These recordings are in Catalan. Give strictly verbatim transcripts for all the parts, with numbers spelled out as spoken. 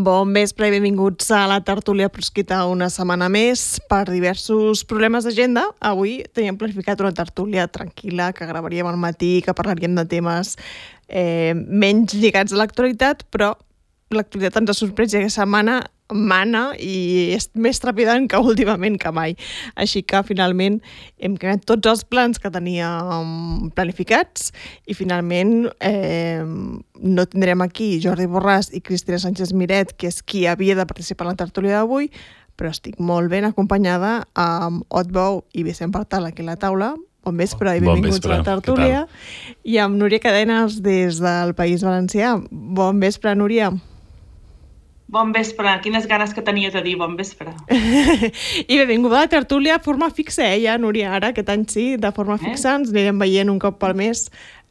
Bon vespre i benvinguts a la tertúlia proscrita una setmana més. Per diversos problemes d'agenda, avui teníem planificat una tertúlia tranquil·la que gravaríem al matí, que parlaríem de temes eh, menys lligats a l'actualitat, però l'actualitat ens ha sorprès i aquesta setmana mana i és més trepidant que últimament que mai. Així que finalment hem creat tots els plans que teníem planificats i finalment eh, no tindrem aquí Jordi Borràs i Cristina Sánchez Miret, que és qui havia de participar en la tertúlia d'avui, però estic molt ben acompanyada amb Ot Bou i Vicent Partal aquí a la taula. Bon vespre i benvinguts bon vespre. A la tertúlia. I amb Núria Cadenes des del País Valencià. Bon vespre, Núria. Bon vespre. Quines ganes que tenia de dir bon vespre. I benvinguda a la tertúlia de forma fixa, eh, ja, Núria, ara, aquest any sí, de forma eh? fixa, ens anirem veient un cop pel mes.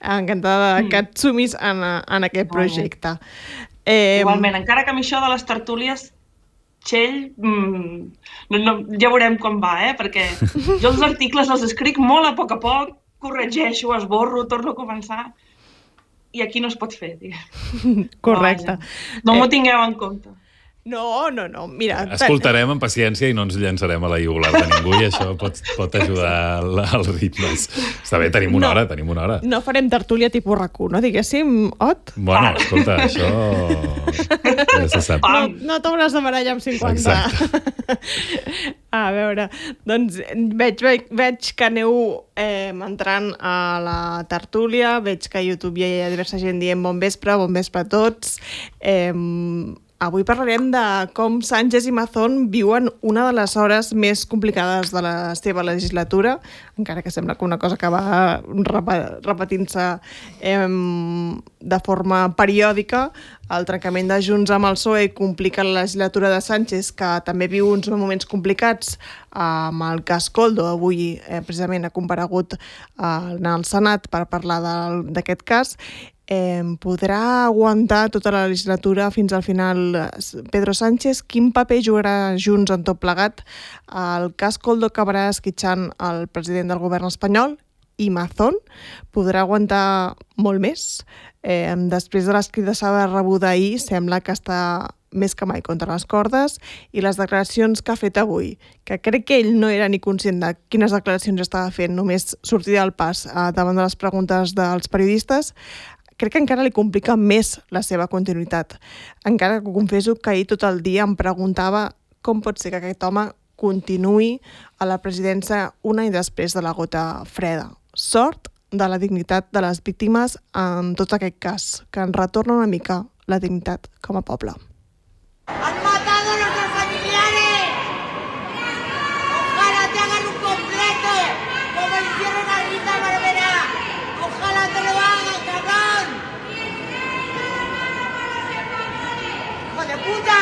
Encantada mm. que et sumis en, en aquest projecte. Eh, Igualment, encara que amb això de les tertúlies, Txell, mm, no, no, ja veurem com va, eh? Perquè jo els articles els escric molt a poc a poc, corregeixo, esborro, torno a començar, i aquí no es pot fer, diguem. Correcte. No, no m'ho tingueu en compte. No, no, no, mira... Escoltarem amb paciència i no ens llançarem a la iugular de ningú i això pot, pot ajudar als ritmes. Està bé, tenim una no, hora, tenim una hora. No farem tertúlia tipus R A C U, no? Diguéssim, Ot? Bueno, escolta, això... Ja se sap. No, no t'hauràs de barallar amb cinquanta. Exacte. A veure, doncs veig, veig, veig que aneu eh, entrant a la tertúlia, veig que a YouTube ja hi ha diversa gent dient bon vespre, bon vespre a tots. Eh, Avui parlarem de com Sánchez i Mazón viuen una de les hores més complicades de la seva legislatura, encara que sembla que una cosa que va repetint-se eh, de forma periòdica. El trencament de Junts amb el P S O E complica la legislatura de Sánchez, que també viu uns moments complicats amb el cas Koldo. Avui eh, precisament ha comparegut eh, en el Senat per parlar d'aquest cas. Eh, podrà aguantar tota la legislatura fins al final Pedro Sánchez? Quin paper jugarà Junts en tot plegat? El cas Koldo acabarà esquitxant el president del govern espanyol i Mazón podrà aguantar molt més? Eh, després de l'escridassada rebuda ahir, sembla que està més que mai contra les cordes, i les declaracions que ha fet avui, que crec que ell no era ni conscient de quines declaracions estava fent, només sortir del pas eh, davant de les preguntes dels periodistes, crec que encara li complica més la seva continuïtat. Encara que confesso que ahir tot el dia em preguntava com pot ser que aquest home continuï a la presidència un any després de la gota freda. Sort de la dignitat de les víctimes en tot aquest cas, que ens retorna una mica la dignitat com a poble. ¡Han matado a nuestros familiares! ¡Ojalá te hagan un completo, como hicieron a Rita Barberá! ¡Ojalá te lo hagan, cabrón! ¡Hijo de puta!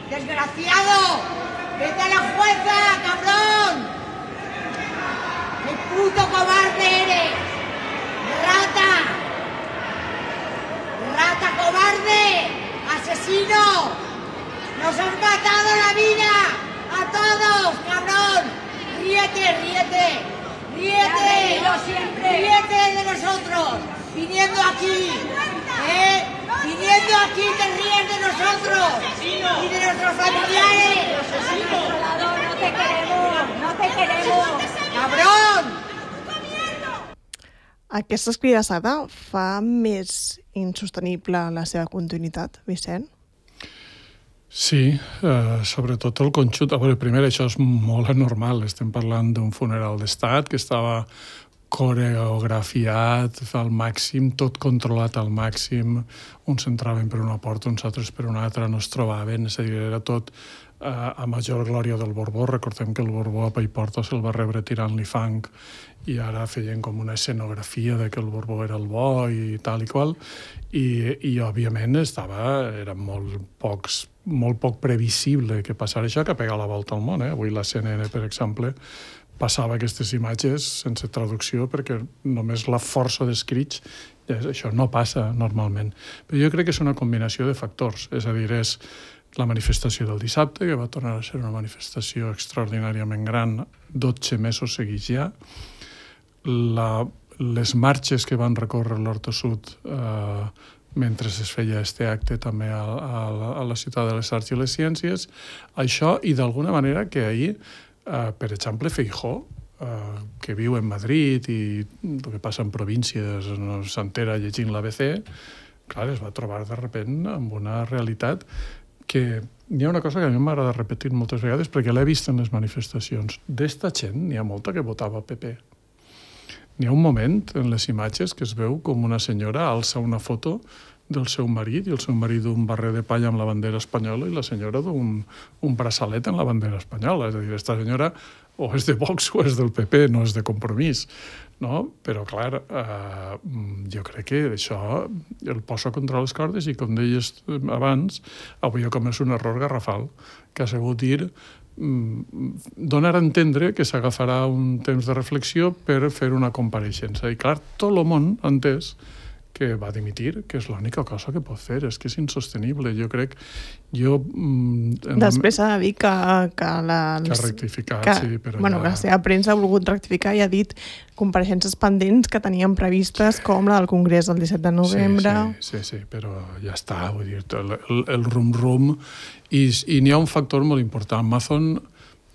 ¡Desgraciado! ¡Vete a la jueza, cabrón! ¡Qué puto cobarde eres! ¡Rata! ¡Rata cobarde! ¡Asesino! ¡Nos han matado la vida! ¡A todos, cabrón! ¡Ríete, ríete! ¡Ríete! ¡Yo siempre! ¡Ríete de nosotros! ¡Viniendo aquí! ¿Eh? Viniendo aquí te ríes de nosotros y de nuestros familiares. No te queremos, no te queremos. ¡Cabrón! Aquesta escridassada fa més insostenible la seva continuïtat, Vicent? Sí, eh, sobretot el conjunt. A veure, primer, això és molt anormal. Estem parlant d'un funeral d'estat que estava coreografiat al màxim, tot controlat al màxim, uns entraven per una porta, uns altres per una altra, no es trobaven, és a dir, era tot eh, a major glòria del Borbó. Recordem que el Borbó a Paiporta se'l va rebre tirant-li fang i ara feien com una escenografia de que el Borbó era el bo i tal i qual, i, i òbviament estava, era molt, pocs, molt poc previsible que passara això, que pega la volta al món. Eh? Avui la C N N, per exemple, passava aquestes imatges sense traducció perquè només la força d'escrits, això no passa normalment. Però jo crec que és una combinació de factors, és a dir, és la manifestació del dissabte, que va tornar a ser una manifestació extraordinàriament gran, dotze mesos seguits ja, la, les marxes que van recórrer l'Horta Sud eh, mentre es feia aquest acte també a, a, a la Ciutat de les Arts i les Ciències, això, i d'alguna manera que ahir Uh, per exemple, Feijóo, uh, que viu en Madrid i el que passa en províncies no s'entera llegint l'A B C, clar, es va trobar de repent amb una realitat que hi ha una cosa que a mi m'agrada repetir moltes vegades perquè l'he vist en les manifestacions. D'esta gent n'hi ha molta que votava P P. N'hi ha un moment en les imatges que es veu com una senyora alça una foto del seu marit, i el seu marit d'un barret de palla amb la bandera espanyola i la senyora d'un un braçalet en la bandera espanyola. És a dir, aquesta senyora o és de Vox o és del P P, no és de Compromís. No? Però, clar, eh, jo crec que això el posa contra les cordes i, com deies abans, avui jo començo un error garrafal, que ha sigut dir donar a entendre que s'agafarà un temps de reflexió per fer una compareixença. I, clar, tot el món ha entès que va dimitir, que és l'única cosa que pot fer, és que és insostenible. Jo crec... Jo, mm, Després s'ha de dir que... Que, la, que ha rectificat, que, sí, però bueno, ja... que la seva premsa ha volgut rectificar i ha dit compareixences pendents que tenien previstes, com la del Congrés del disset de novembre... Sí, sí, sí, sí, però ja està, vull dir, el, el, el rum-rum... I, i n'hi ha un factor molt important. Mazón,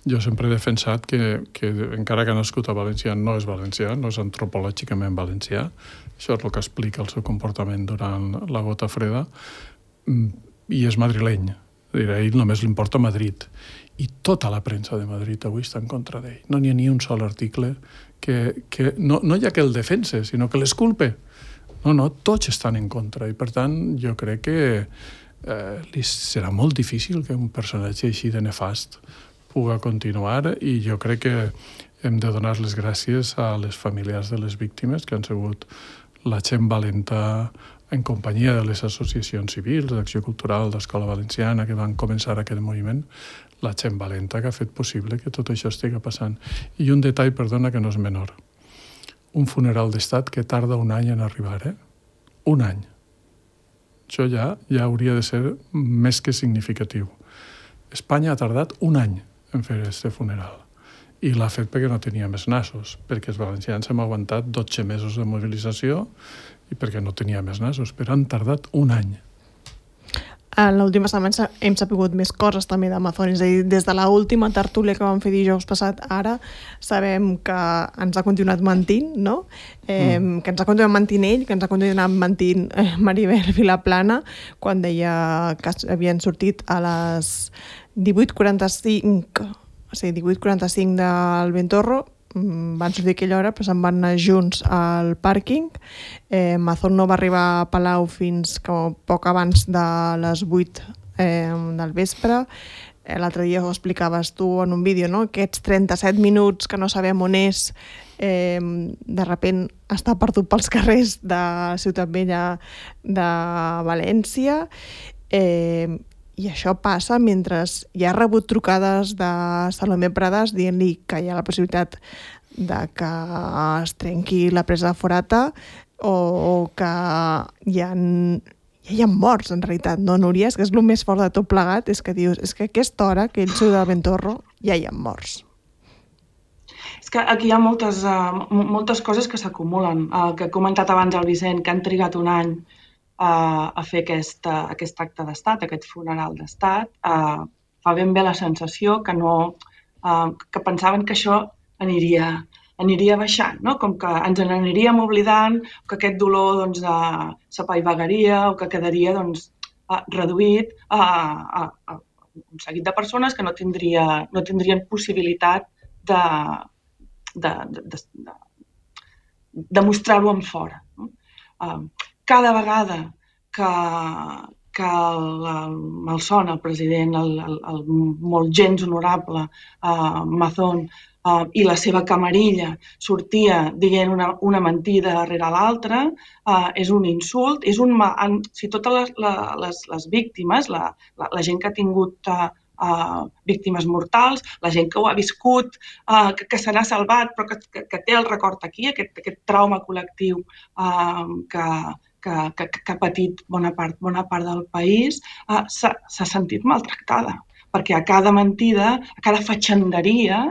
jo sempre he defensat que, que encara que ha nascut a València, no és valencià, no és antropològicament valencià. Això és el que explica el seu comportament durant la gota freda, i és madrileny. A ell només li importa Madrid. I tota la premsa de Madrid avui està en contra d'ell. No n'hi ha ni un sol article que... que no, no hi ha que el defense, sinó que l'esculpe. No, no, tots estan en contra. I, per tant, jo crec que eh, li serà molt difícil que un personatge així de nefast puga continuar, i jo crec que hem de donar les gràcies a les familiars de les víctimes, que han sigut la gent valenta en companyia de les associacions civils, d'Acció Cultural, d'Escola Valenciana, que van començar aquest moviment, la gent valenta que ha fet possible que tot això estigui passant. I un detall, perdona, que no és menor. Un funeral d'estat que tarda un any en arribar, eh? Un any. Això ja, ja hauria de ser més que significatiu. Espanya ha tardat un any en fer aquest funeral. I l'ha fet perquè no tenia més nassos, perquè els valencians hem aguantat dotze mesos de mobilització i perquè no tenia més nassos, però han tardat un any. En l'última setmana hem sapigut més coses també d'Amazon, és a dir, des de l'última tertúlia que vam fer dijous passat, ara sabem que ens ha continuat mentint, no? Eh, mm. Que ens ha continuat mentint ell, que ens ha continuat mentint eh, Maribel Vilaplana, quan deia que havien sortit a les divuit quaranta-cinc, o sigui, divuit quaranta-cinc del Ventorro, van sortir a aquella hora, però se'n van anar junts al pàrquing. Eh, Mazón no va arribar a Palau fins com poc abans de les vuit eh, del vespre. Eh, L'altre dia ho explicaves tu en un vídeo, no? Aquests trenta-set minuts que no sabem on és, eh, de repent està perdut pels carrers de Ciutat Vella de València. Eh, I això passa mentre hi ha rebut trucades de Salomé Pradas dient-li que hi ha la possibilitat de que es trenqui la presa de Forata, o que hi ha, ja hi ha morts, en realitat, no, Núria? És que és el més fort de tot plegat, és que dius, és que a aquesta hora que ell surt del Ventorro ja hi ha morts. És que aquí hi ha moltes, uh, moltes coses que s'acumulen. El que ha comentat abans el Vicent, que han trigat un any Uh, a fer aquest, uh, aquest acte d'estat, aquest funeral d'estat, uh, fa ben bé la sensació que no, uh, que pensaven que això aniria, aniria baixant, no? Com que ens n'aniríem oblidant, que aquest dolor doncs, uh, s'apaivagaria o que quedaria doncs, uh, reduït a, a, a un seguit de persones que no, tindria, no tindrien possibilitat de, de, de, de, demostrar-ho en fora. No? Uh, cada vegada que, que el, el Malson, el president, el, el, el molt gens honorable uh, Mazón, Uh, i la seva camarilla sortia dient una, una mentida darrere l'altra, uh, és un insult, és un... En, si totes les, les, les víctimes, la, la, la gent que ha tingut uh, uh, víctimes mortals, la gent que ho ha viscut, uh, que, que se n'ha salvat, però que, que, que té el record aquí, aquest, aquest trauma col·lectiu uh, que, que, que, que ha patit bona part, bona part del país, uh, s'ha sentit maltractada. Perquè a cada mentida, a cada fatxenderia,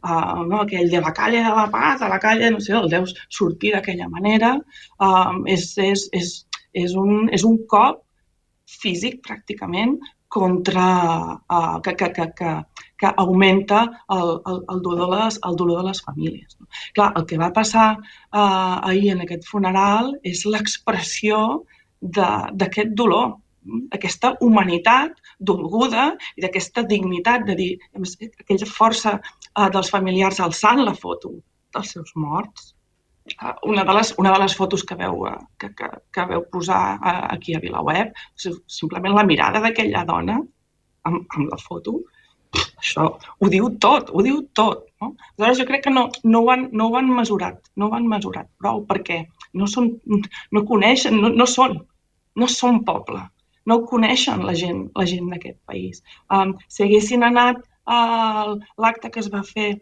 uh, no, aquell de la calle de la paz, a la calle, no sé, el deus sortir d'aquella manera, uh, és, és, és, és, un, és un cop físic, pràcticament, contra, uh, que, que, que, que, que augmenta el, el, el, dolor de les, el dolor de les famílies. No? Clar, el que va passar uh, ahir en aquest funeral és l'expressió d'aquest dolor, d'aquesta humanitat dolguda i d'aquesta dignitat de dir, aquella força uh, dels familiars alçant la foto dels seus morts. Uh, una, de les, una de les fotos que veu, uh, que, que, que veu posar uh, aquí a VilaWeb, simplement la mirada d'aquella dona amb, amb la foto, això ho diu tot, ho diu tot. No? Aleshores, jo crec que no, no, ho han, no ho han mesurat, no ho han mesurat prou, perquè no, són, no coneixen, no, no són, no són poble. No ho coneixen la gent, la gent d'aquest país. Um, si haguessin anat a l'acte que es va fer,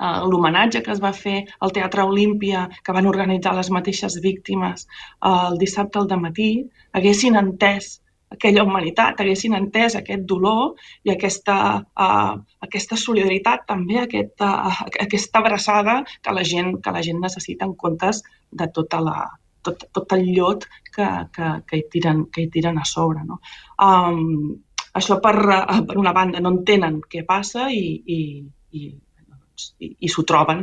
uh, l'homenatge que es va fer al Teatre Olímpia, que van organitzar les mateixes víctimes uh, el dissabte al dematí, haguessin entès aquella humanitat, haguessin entès aquest dolor i aquesta, uh, aquesta solidaritat també, aquesta, uh, aquesta abraçada que la gent, que la gent necessita en comptes de tota la... Tot, tot el llot que, que, que, hi tiren, que hi tiren a sobre. No? Um, això, per, per una banda, no entenen què passa i, i, i, i, i s'ho troben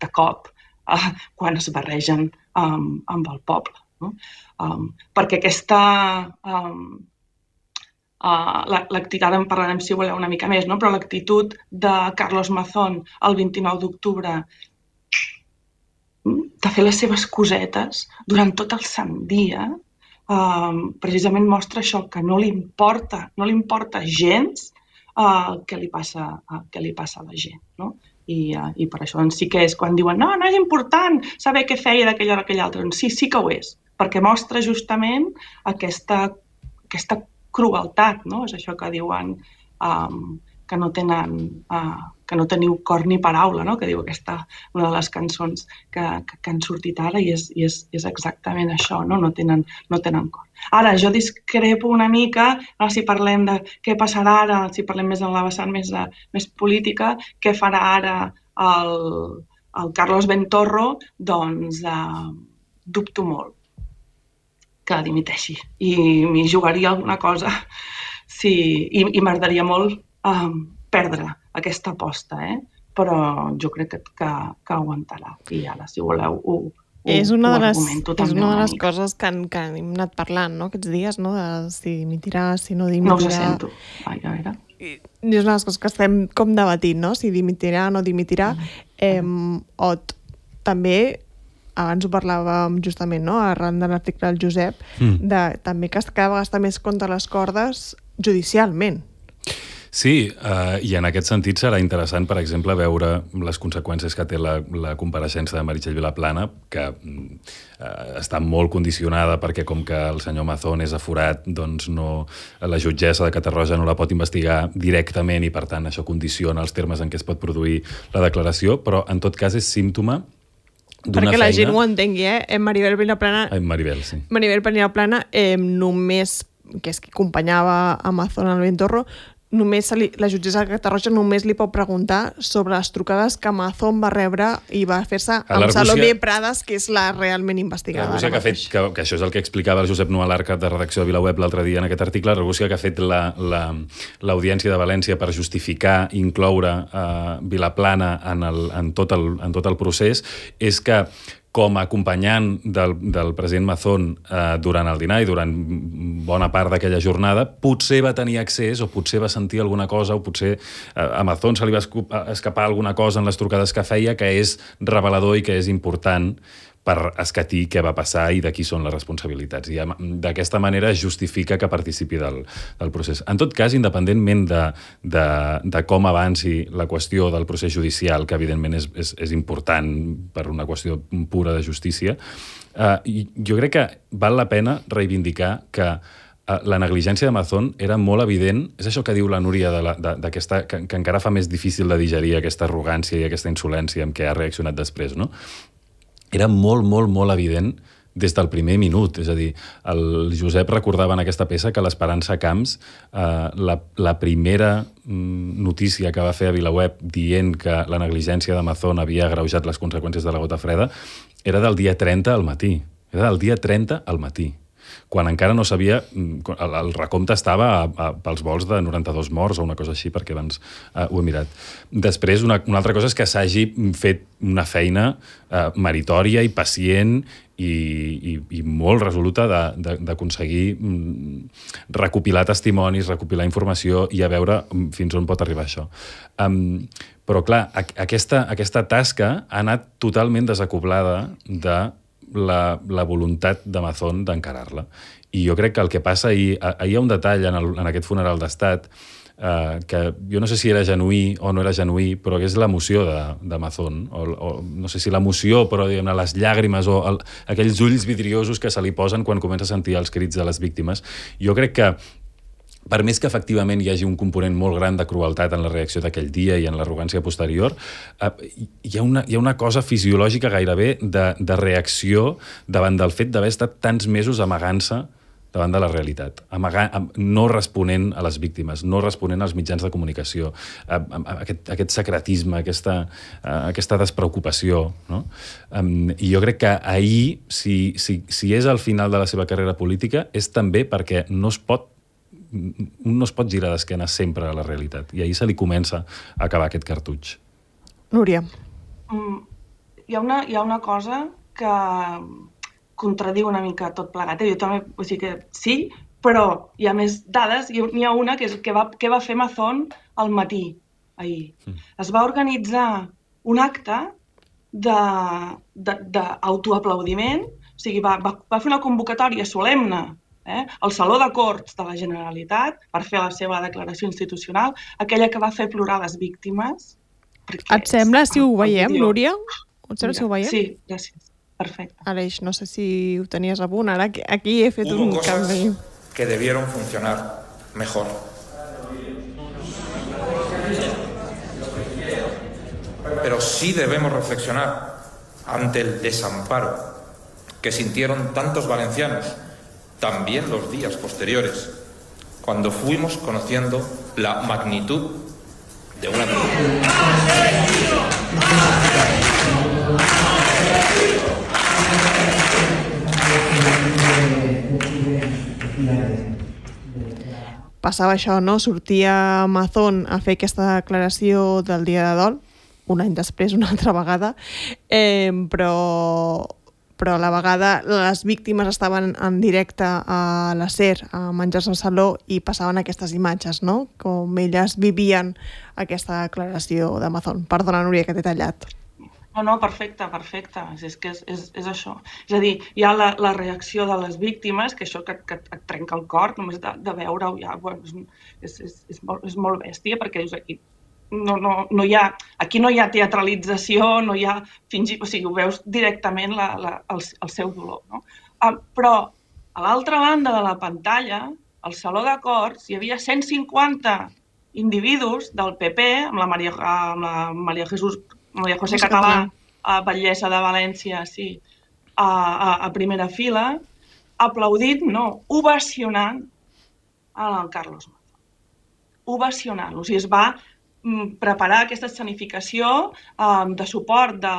de cop uh, quan es barregen um, amb el poble. No? Um, perquè aquesta... Um, uh, l'actitud, ara en parlarem si voleu una mica més, no? Però l'actitud de Carlos Mazón el vint-i-nou d'octubre de fer les seves cosetes durant tot el sant dia, eh, precisament mostra això, que no li importa, no li importa gens eh, què li passa, eh, què li passa a la gent. No? I, eh, I per això doncs, sí que és quan diuen no, no és important saber què feia d'aquella hora o aquella altra. Doncs sí, sí que ho és, perquè mostra justament aquesta, aquesta crueltat, no? És això que diuen um, que no tenen... Uh, que no teniu cor ni paraula, no? Que diu aquesta, una de les cançons que, que, que han sortit ara i és, i és, és exactament això, no? No tenen, no tenen cor. Ara, jo discrepo una mica, no? Si parlem de què passarà ara, si parlem més en la vessant més, de, més política, què farà ara el, el Carlos Bentorro, doncs eh, dubto molt que dimiteixi i m'hi jugaria alguna cosa sí, i, i m'agradaria molt eh, perdre aquesta aposta, eh? Però jo crec que, que, que aguantarà. I ara, si voleu, ho, ho, és una ho de les, argumento també. És una de les mica. coses que, han, que hem anat parlant, no?, aquests dies, no?, de si dimitirà, si no dimitirà. No us sento. Ai, a veure. I és una de les coses que estem com debatint, no?, si dimitirà o no dimitirà. Eh, o també, abans ho parlàvem justament, no?, arran de l'article del Josep, mm. de, també que cada vegada està més contra les cordes judicialment. Sí, uh, i en aquest sentit serà interessant, per exemple, veure les conseqüències que té la, la compareixença de Meritxell Vilaplana, que uh, està molt condicionada perquè com que el senyor Mazón és aforat, doncs no, la jutgessa de Catarroja no la pot investigar directament i, per tant, això condiciona els termes en què es pot produir la declaració, però en tot cas és símptoma d'una perquè feina... la gent ho entengui, eh? Maribel Vilaplana... Ai, Maribel, sí. Maribel Vilaplana eh, només, que és qui acompanyava a Mazón al Bentorro, només li, la jutgessa de Catarroja només li pot preguntar sobre les trucades que Mazón va rebre i va fer-se amb Salomé Prades, que és la realment investigada. L'argúcia que ha fet, que, que això és el que explicava el Josep Nualar, cap de redacció de VilaWeb l'altre dia en aquest article, l'argúcia que ha fet l'Audiència la, la, de València per justificar incloure uh, Vilaplana en, el, en, tot el, en tot el procés és que com a acompanyant del, del president Mazón eh, durant el dinar i durant bona part d'aquella jornada, potser va tenir accés o potser va sentir alguna cosa o potser eh, a Mazón se li va escapar alguna cosa en les trucades que feia que és revelador i que és important per escatir què va passar i de qui són les responsabilitats. I d'aquesta manera es justifica que participi del, del procés. En tot cas, independentment de, de, de com avanci la qüestió del procés judicial, que evidentment és, és, és important per una qüestió pura de justícia, eh, jo crec que val la pena reivindicar que la negligència d'Amazon era molt evident. És això que diu la Núria, de la, de, d'aquesta, que, que encara fa més difícil de digerir aquesta arrogància i aquesta insolència amb què ha reaccionat després, no? Era molt, molt, molt evident des del primer minut. És a dir, el Josep recordava en aquesta peça que l'Esperança Camps, eh, la, la primera notícia que va fer a VilaWeb dient que la negligència d'Amazon havia agreujat les conseqüències de la gota freda era del dia trenta al matí. Era del dia trenta al matí, quan encara no sabia, el, el recompte estava a, a, pels vols de noranta-dos morts o una cosa així, perquè abans uh, ho he mirat. Després, una, una altra cosa és que s'hagi fet una feina uh, meritòria i pacient i, i, i molt resoluta d'aconseguir recopilar testimonis, recopilar informació i a veure fins on pot arribar això. Um, però, clar, aquesta, aquesta tasca ha anat totalment desacoblada de La, la voluntat d'Amazon d'encarar-la. I jo crec que el que passa ahir... Ahir hi ha un detall en, el, en aquest funeral d'estat eh, que jo no sé si era genuí o no era genuí, però que és l'emoció d'Amazon. O, o, no sé si l'emoció, però diguem-ne, les llàgrimes o el, aquells ulls vidriosos que se li posen quan comença a sentir els crits de les víctimes. Jo crec que per més que efectivament hi hagi un component molt gran de crueltat en la reacció d'aquell dia i en l'arrogància posterior, eh, hi, ha una, hi ha una cosa fisiològica gairebé de, de reacció davant del fet d'haver estat tants mesos amagant-se davant de la realitat, amagant, no responent a les víctimes, no responent als mitjans de comunicació, eh, aquest, aquest secretisme, aquesta, eh, aquesta despreocupació. No? Um, I jo crec que ahir, si, si, si és al final de la seva carrera política, és també perquè no es pot un no es pot girar d'esquena sempre a la realitat. I ahir se li comença a acabar aquest cartutx. Núria. Mm, hi, ha una, hi ha una cosa que contradiu una mica tot plegat. Jo també, o sigui que sí, però hi ha més dades. N'hi ha una que és que va, que va fer Amazon al matí, ahir. Mm. Es va organitzar un acte d'autoaplaudiment, o sigui, va, va, va fer una convocatòria solemne Eh? al Saló de Corts de la Generalitat per fer la seva declaració institucional, aquella que va fer plorar les víctimes. Et sembla si ho veiem, Núria? Et sembla si ho veiem? Sí, gràcies. Perfecte. Aleix, no sé si ho tenies a punt. Ara aquí he fet un canvi. Que debieron funcionar mejor. Pero sí debemos reflexionar ante el desamparo que sintieron tantos valencianos también los días posteriores, cuando fuimos conociendo la magnitud de una... Passava això, no? Sortia Amazon a fer aquesta declaració del dia de dol, un any després, una altra vegada, eh, però... però a la vegada les víctimes estaven en directe a la SER, a menjar-se al saló, i passaven aquestes imatges, no? Com elles vivien aquesta declaració d'Amazon. Perdona, Núria, que t'he tallat. No, no, perfecte, perfecte. És que és, és, és això. És a dir, hi ha la, la reacció de les víctimes, que això que, que et trenca el cor, només de, de veure-ho ja, bueno, és, és, és, molt, és molt bèstia, perquè dius aquí, no, no, no hi ha, aquí no hi ha teatralització, no hi ha fingir, o sigui, ho veus directament la, la, el, el seu dolor. No? Uh, però a l'altra banda de la pantalla, al Saló de Corts, hi havia cent cinquanta individus del P P, amb la Maria, amb la Maria Jesús Maria José Català, a Batllessa de València, sí, a, a, a primera fila, aplaudint, no, ovacionant el Carlos Mazón. Ovacionant. O sigui, es va preparar aquesta escenificació um, de suport de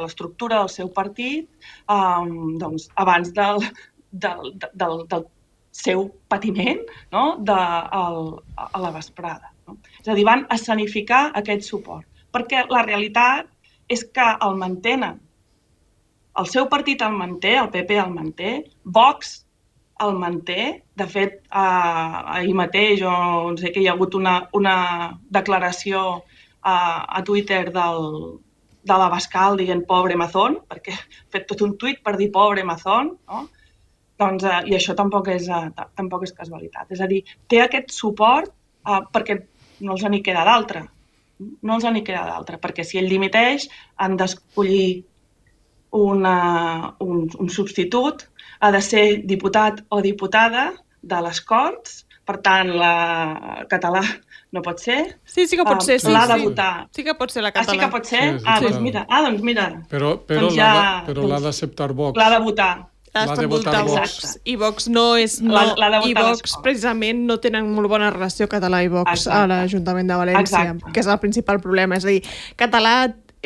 l'estructura de, de del seu partit um, doncs, abans del, del, del, del seu patiment, no? de, el, a la vesprada. No? És a dir, van escenificar aquest suport. Perquè la realitat és que el mantenen. El seu partit el manté, el P P el manté, Vox el manté. De fet, eh, ahir mateix, o no sé, que hi ha hagut una, una declaració eh, a Twitter del, de l'Abascal dient pobre Mazón, perquè ha fet tot un tuit per dir pobre Mazón, no? Doncs, eh, i això tampoc és, eh, tampoc és casualitat. És a dir, té aquest suport eh, perquè no els n'hi queda d'altre. No els n'hi queda d'altre, perquè si ell dimiteix han d'escollir una, un, un substitut, ha de ser diputat o diputada de les Corts, per tant, la català no pot ser. Sí, sí que pot ser, sí. L'ha de sí. votar. Sí que pot ser la català. Ah, sí que pot ser? Sí, sí, ah, sí, doncs mira, ah, doncs mira. Però, però doncs l'ha ja, de- però l'ha d'acceptar Vox. L'ha de votar. L'ha de votar Vox. Vox. I Vox no és... No, L'ha de votar I Vox, l'escola. precisament, no tenen molt bona relació català i Vox Exacte. a l'Ajuntament de València, Exacte. que és el principal problema. És a dir, català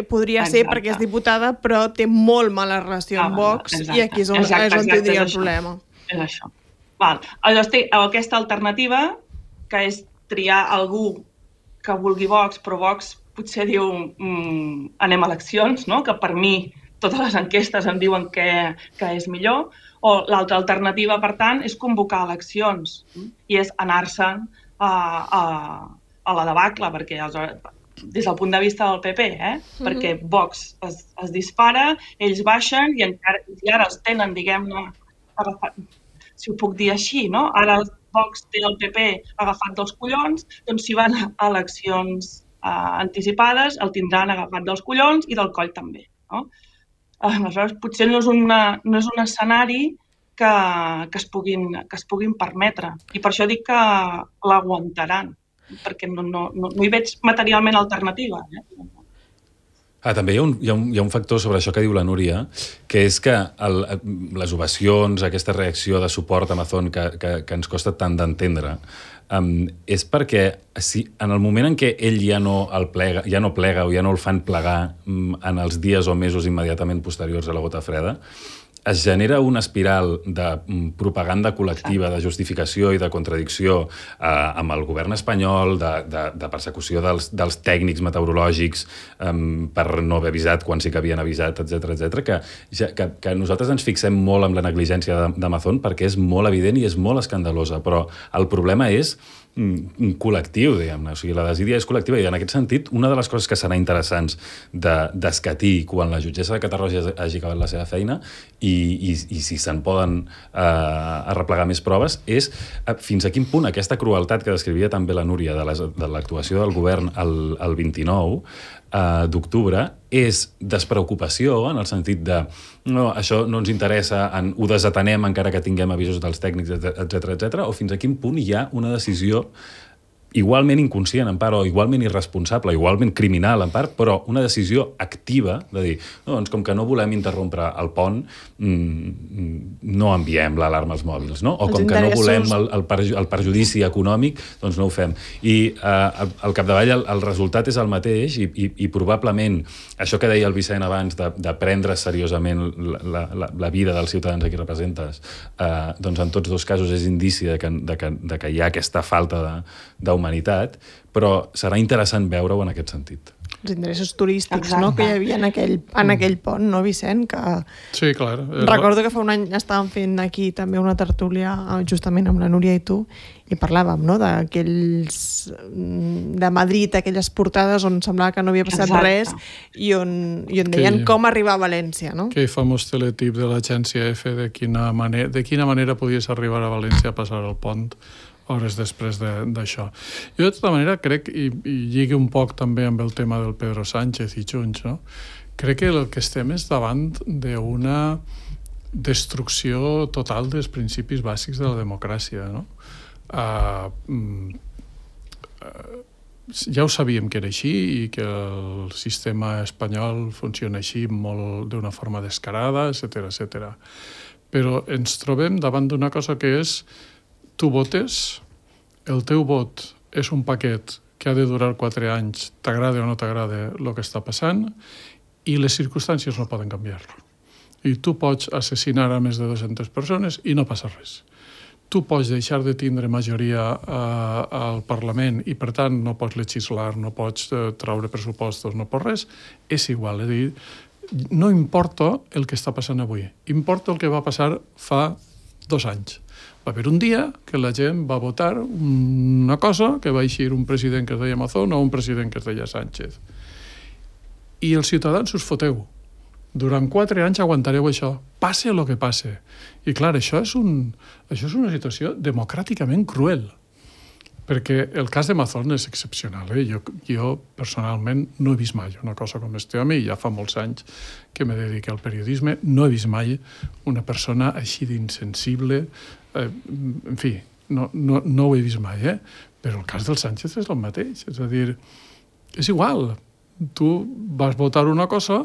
podria ser Exacte. perquè és diputada, però té molt mala relació amb Ah, Vox, exacte. i aquí és on, Exacte, és on exacte, tindria és el això. problema. És això. Val. Llavors té aquesta alternativa, que és triar algú que vulgui Vox, però Vox potser diu mm, anem a eleccions, no? Que per mi totes les enquestes em diuen que, que és millor, o l'altra alternativa, per tant, és convocar eleccions i és anar-se'n a, a, a la debacle, perquè aleshores, des del punt de vista del P P, eh? Mm-hmm. Perquè Vox es, es dispara, ells baixen i encara i ara els tenen, diguem-ne, agafat, si ho puc dir així, no? Ara el Vox té el P P agafat dels collons, doncs si van a eleccions eh, anticipades el tindran agafat dels collons i del coll també, no? Aleshores, potser no és, una, no és un escenari que, que, es puguin, que es puguin permetre. I per això dic que l'aguantaran, perquè no, no, no, no hi veig materialment alternativa. Eh? Ah, també hi ha, un, hi, ha un, hi ha un factor sobre això que diu la Núria, que és que el, les ovacions, aquesta reacció de suport a Mazón que, que, que ens costa tant d'entendre, um, és perquè si, en el moment en què ell ja no el plega, ja no plega o ja no el fan plegar um, en els dies o mesos immediatament posteriors a la gota freda, es genera una espiral de propaganda col·lectiva, de justificació i de contradicció eh, amb el govern espanyol, de, de, de persecució dels, dels tècnics meteorològics eh, per no haver avisat quan sí que havien avisat, etcètera, etcètera, que, ja, que, que nosaltres ens fixem molt en la negligència de, de Mazón perquè és molt evident i és molt escandalosa, però el problema és un col·lectiu, diguem-ne. O sigui, la desídia és col·lectiva i en aquest sentit una de les coses que serà interessants d'escatir de, quan la jutgessa de Catarroja hagi acabat la seva feina i, i, i si se'n poden eh, arreplegar més proves és eh, fins a quin punt aquesta crueltat que descrivia també la Núria de, les, de l'actuació del govern el, el vint-i-nou eh, d'octubre és despreocupació en el sentit de no, això no ens interessa, en, ho desatenem encara que tinguem avisos dels tècnics, etcètera, etcètera, o fins a quin punt hi ha una decisió igualment inconscient en part, o igualment irresponsable, igualment criminal en part, però una decisió activa de dir, no, doncs com que no volem interrompre el pont, mmm, no enviem l'alarma als mòbils, no? O els com que no volem el, el, perju el perjudici econòmic, doncs no ho fem. I eh, al capdavall el, el resultat és el mateix i, i, i probablement això que deia el Vicent abans de, de prendre seriosament la, la, la vida dels ciutadans a qui representes, eh, doncs en tots dos casos és indici de que, de que, de que hi ha aquesta falta de, de humanitat, però serà interessant veure-ho en aquest sentit. Els interessos turístics, Exacte. no?, que hi havia en aquell, en aquell pont, no, Vicent? Que... Sí, clar. Recordo que fa un any estàvem fent aquí també una tertúlia justament amb la Núria i tu i parlàvem, no?, d'aquells de Madrid, aquelles portades on semblava que no havia passat Exacte. res i on, i on deien Que- com arribar a València, no? Aquell famós teletip de l'agència F de quina, manera, de quina manera podies arribar a València a passar el pont hores després d'això. Jo, de tota manera, crec, i, i lligui un poc també amb el tema del Pedro Sánchez i Junts, no? Crec que el que estem és davant d'una destrucció total dels principis bàsics de la democràcia, no? Uh, uh, ja ho sabíem que era així i que el sistema espanyol funciona així molt d'una forma descarada, etcètera, etcètera. Però ens trobem davant d'una cosa que és tu votes, el teu vot és un paquet que ha de durar quatre anys, t'agrada o no t'agrada el que està passant, i les circumstàncies no poden canviar-lo. I tu pots assassinar a més de dues-centes persones i no passa res. Tu pots deixar de tindre majoria eh, al Parlament i, per tant, no pots legislar, no pots eh, traure pressupostos, no pots res. És igual, és a dir, no importa el que està passant avui. Importa el que va passar fa dos anys. Va haver un dia que la gent va votar una cosa que va eixir un president que es deia Mazón o un president que es deia Sánchez. i els ciutadans us foteu. Durant quatre anys aguantareu això, passe el que passe. I clar, això és, un, això és una situació democràticament cruel, perquè el cas de Mazón és excepcional. Eh? Jo, jo personalment no he vist mai una cosa com este home, i ja fa molts anys que me dedico al periodisme, no he vist mai una persona així d'insensible, eh, en fi, no, no, no ho he vist mai, eh? Però el cas del Sánchez és el mateix, és a dir, és igual, tu vas votar una cosa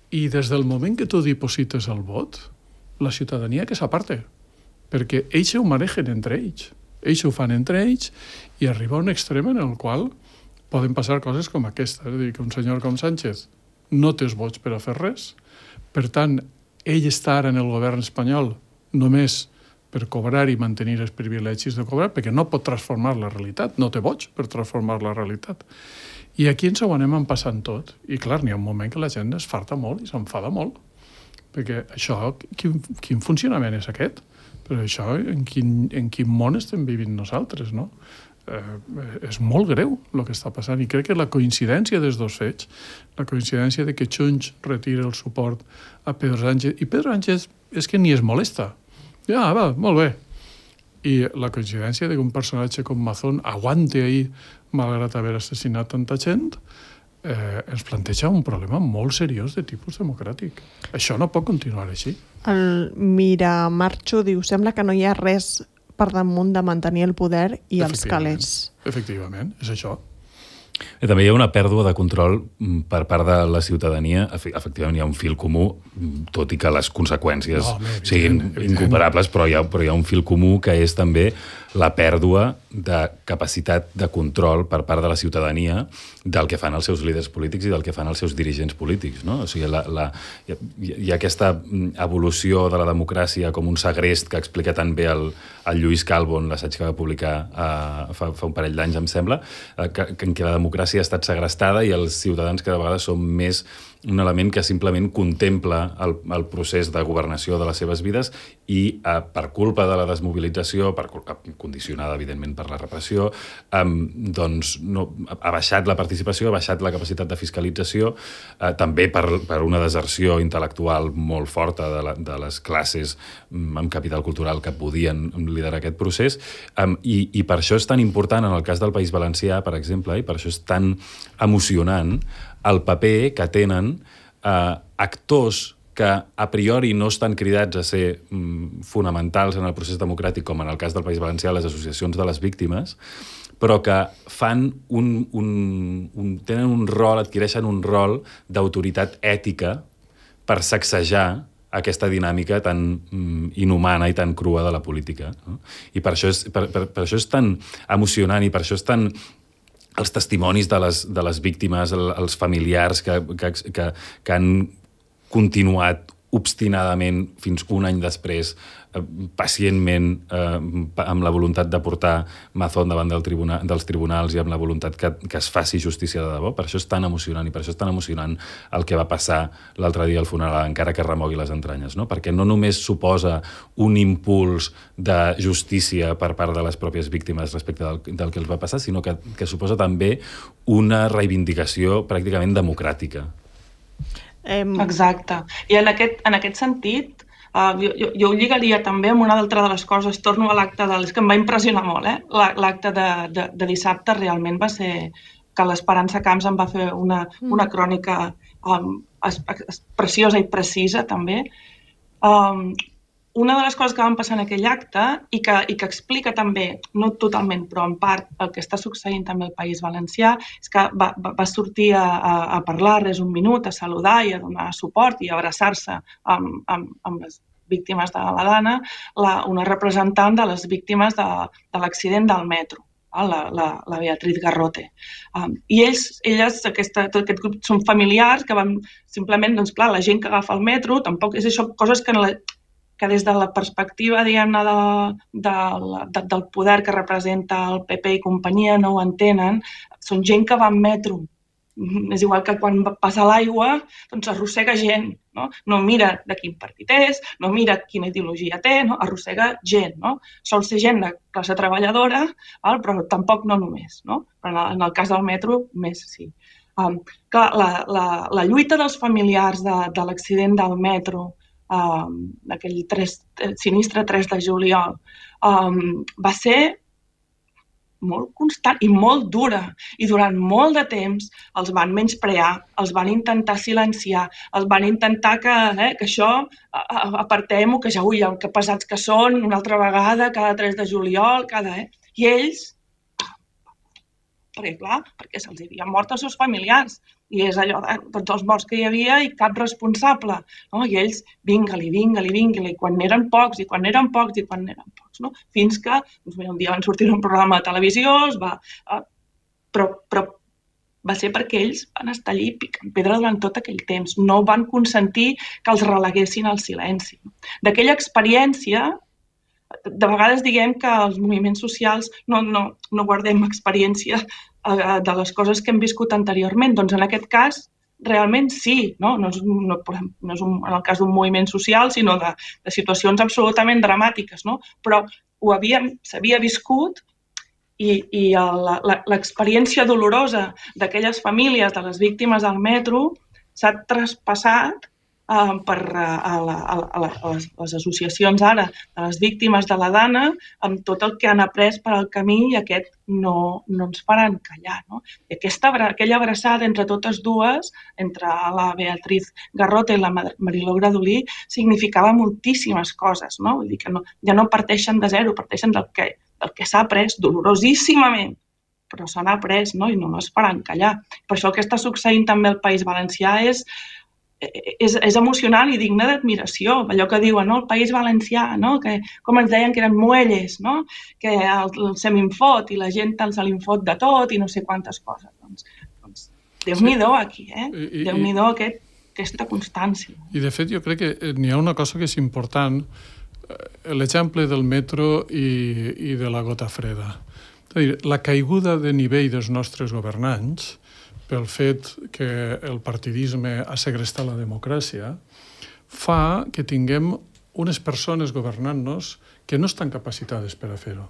i des del moment que tu diposites el vot, la ciutadania que s'aparte, perquè ells ho manegen entre ells. Ells ho fan entre ells i arriba a un extrem en el qual poden passar coses com aquesta. És a dir, que un senyor com Sánchez no té els vots per a fer res, per tant, ell està ara en el govern espanyol només per cobrar i mantenir els privilegis de cobrar, perquè no pot transformar la realitat, no té vots per transformar la realitat. I aquí ens ho anem passant tot. I clar, n'hi ha un moment que la gent es farta molt i s'enfada molt. Perquè això, quin, quin funcionament és aquest? Però això, en quin, en quin món estem vivint nosaltres, no? Eh, és molt greu el que està passant. I crec que la coincidència dels dos fets, la coincidència de que Junts retira el suport a Pedro Sánchez, i Pedro Sánchez és que ni es molesta. Ja, va, molt bé. I la coincidència de que un personatge com Mazón aguante ahí, malgrat haver assassinat tanta gent, eh, ens planteja un problema molt seriós de tipus democràtic. Això no pot continuar així. El Mira Marxo diu, sembla que no hi ha res per damunt de mantenir el poder i els calés. Efectivament, és això. I també hi ha una pèrdua de control per part de la ciutadania. Efectivament, hi ha un fil comú, tot i que les conseqüències no, home, siguin incomparables, però hi, ha, però hi ha un fil comú que és també la pèrdua de capacitat de control per part de la ciutadania del que fan els seus líders polítics i del que fan els seus dirigents polítics. No? O sigui, la, la, hi, ha, hi ha aquesta evolució de la democràcia com un segrest que explica tan bé el, el Lluís Calvo en l'assaig que va publicar uh, fa, fa un parell d'anys, em sembla, uh, que, que en què la democràcia ha estat segrestada i els ciutadans cada vegada són més un element que simplement contempla el, el procés de governació de les seves vides i eh, per culpa de la desmobilització, per, condicionada evidentment per la repressió, eh, doncs no, ha baixat la participació, ha baixat la capacitat de fiscalització, eh, també per, per una deserció intel·lectual molt forta de, la, de les classes amb capital cultural que podien liderar aquest procés, eh, i, i per això és tan important en el cas del País Valencià, per exemple, i per això és tan emocionant el paper que tenen eh, actors que a priori no estan cridats a ser mm, fonamentals en el procés democràtic, com en el cas del País Valencià, les associacions de les víctimes, però que fan un, un, un, tenen un rol, adquireixen un rol d'autoritat ètica per sacsejar aquesta dinàmica tan mm, inhumana i tan crua de la política. No? I per això, és, per, per, per això és tan emocionant i per això és tan... els testimonis de les, de les víctimes, el, els familiars que, que, que, que han continuat obstinadament fins un any després, eh, pacientment, eh, amb la voluntat de portar Mazón davant del tribuna, dels tribunals i amb la voluntat que, que es faci justícia de debò. Per això és tan emocionant i per això és tan emocionant el que va passar l'altre dia al funeral, encara que remogui les entranyes, no? Perquè no només suposa un impuls de justícia per part de les pròpies víctimes respecte del, del que els va passar, sinó que, que suposa també una reivindicació pràcticament democràtica. Exacte. I en aquest, en aquest sentit, uh, jo, jo, jo ho lligaria també amb una altra de les coses, torno a l'acte de... És que em va impressionar molt, eh? L'acte de, de, de dissabte realment va ser que l'Esperança Camps em va fer una, una crònica um, es, es, preciosa i precisa, també. Um, una de les coses que van passar en aquell acte i que, i que explica també, no totalment, però en part, el que està succeint també al País Valencià, és que va, va, va sortir a, a, a parlar res un minut, a saludar i a donar suport i a abraçar-se amb, amb, amb les víctimes de la Dana, la, una representant de les víctimes de, de l'accident del metro, la, la, la Beatriz Garrote. Um, I ells, elles, aquesta, tot aquest grup, són familiars que van simplement, doncs clar, la gent que agafa el metro, tampoc és això, coses que, la, que des de la perspectiva, diguem-ne, de, de, de, del poder que representa el P P i companyia no ho entenen, són gent que va en metro. És igual que quan passa l'aigua, doncs arrossega gent, no? No mira de quin partit és, no mira quina ideologia té, no? Arrossega gent, no? Sol ser gent de classe treballadora, val? Però tampoc no només, no? Però en el cas del metro, més sí. Um, clar, la, la, la lluita dels familiars de, de l'accident del metro, um, d'aquell sinistre tres de juliol, um, va ser molt constant i molt dura. I durant molt de temps els van menysprear, els van intentar silenciar, els van intentar que, eh, que això apartem-ho, que ja, ui, que pesats que són, una altra vegada, cada tres de juliol, cada... Eh? I ells, perquè clar, perquè se'ls havien mort els seus familiars, i és allò de tots els morts que hi havia i cap responsable, no? I ells, vinga-li, vinga-li, vinga-li, i quan n'eren pocs, i quan n'eren pocs, i quan n'eren pocs, no? Fins que doncs, un dia van sortir un programa de televisió, es va, eh, però, però va ser perquè ells van estar allí picant pedra durant tot aquell temps, no van consentir que els releguessin al silenci. D'aquella experiència, de vegades diguem que els moviments socials no, no, no guardem experiència de les coses que hem viscut anteriorment. Doncs en aquest cas, realment sí, no? No és, no, no és un, en el cas d'un moviment social, sinó de, de situacions absolutament dramàtiques, no? Però ho havíem, s'havia viscut i, i l'experiència dolorosa d'aquelles famílies, de les víctimes del metro, s'ha traspassat Uh, per uh, a la, a la, a les, les associacions ara de les víctimes de la Dana amb tot el que han après per al camí i aquest no, no ens faran callar. No? I aquesta, aquella abraçada entre totes dues, entre la Beatriz Garrota i la Mariló Gradolí, significava moltíssimes coses. No? Vull dir que no, ja no parteixen de zero, parteixen del que, del que s'ha après dolorosíssimament, però se n'ha après, no? I no es faran callar. Per això el que està succeint també al País Valencià és És, és emocionant i digne d'admiració. Allò que diuen, no? El País Valencià, no? Que, com ens deien que eren muelles, no? Que el, el se m'infot i la gent se l'infot de tot i no sé quantes coses. Doncs, doncs Déu-n'hi-do aquí, eh? Déu-n'hi-do aquest, aquesta constància. I de fet jo crec que n'hi ha una cosa que és important, l'exemple del metro i, i de la gota freda. És a dir, la caiguda de nivell dels nostres governants pel fet que el partidisme ha segrestat la democràcia, fa que tinguem unes persones governant-nos que no estan capacitades per a fer-ho.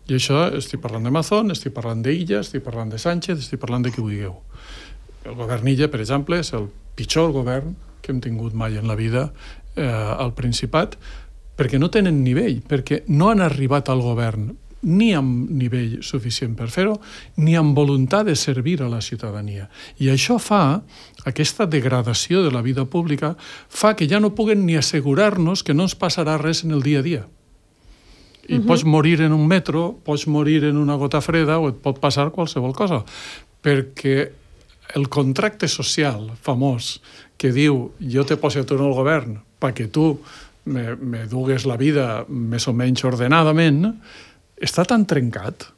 I això estic parlant de Mazón, estic parlant d'Illa, estic parlant de Sánchez, estic parlant de qui vulgueu. El govern Illa, per exemple, és el pitjor govern que hem tingut mai en la vida eh, al Principat, perquè no tenen nivell, perquè no han arribat al govern ni amb nivell suficient per fer-ho, ni amb voluntat de servir a la ciutadania. I això fa, aquesta degradació de la vida pública, fa que ja no puguen ni assegurar-nos que no ens passarà res en el dia a dia. I uh-huh. pots morir en un metro, pots morir en una gota freda, o et pot passar qualsevol cosa. Perquè el contracte social famós que diu jo te poso tu en el govern perquè tu me, me dugues la vida més o menys ordenadament, està tan trencat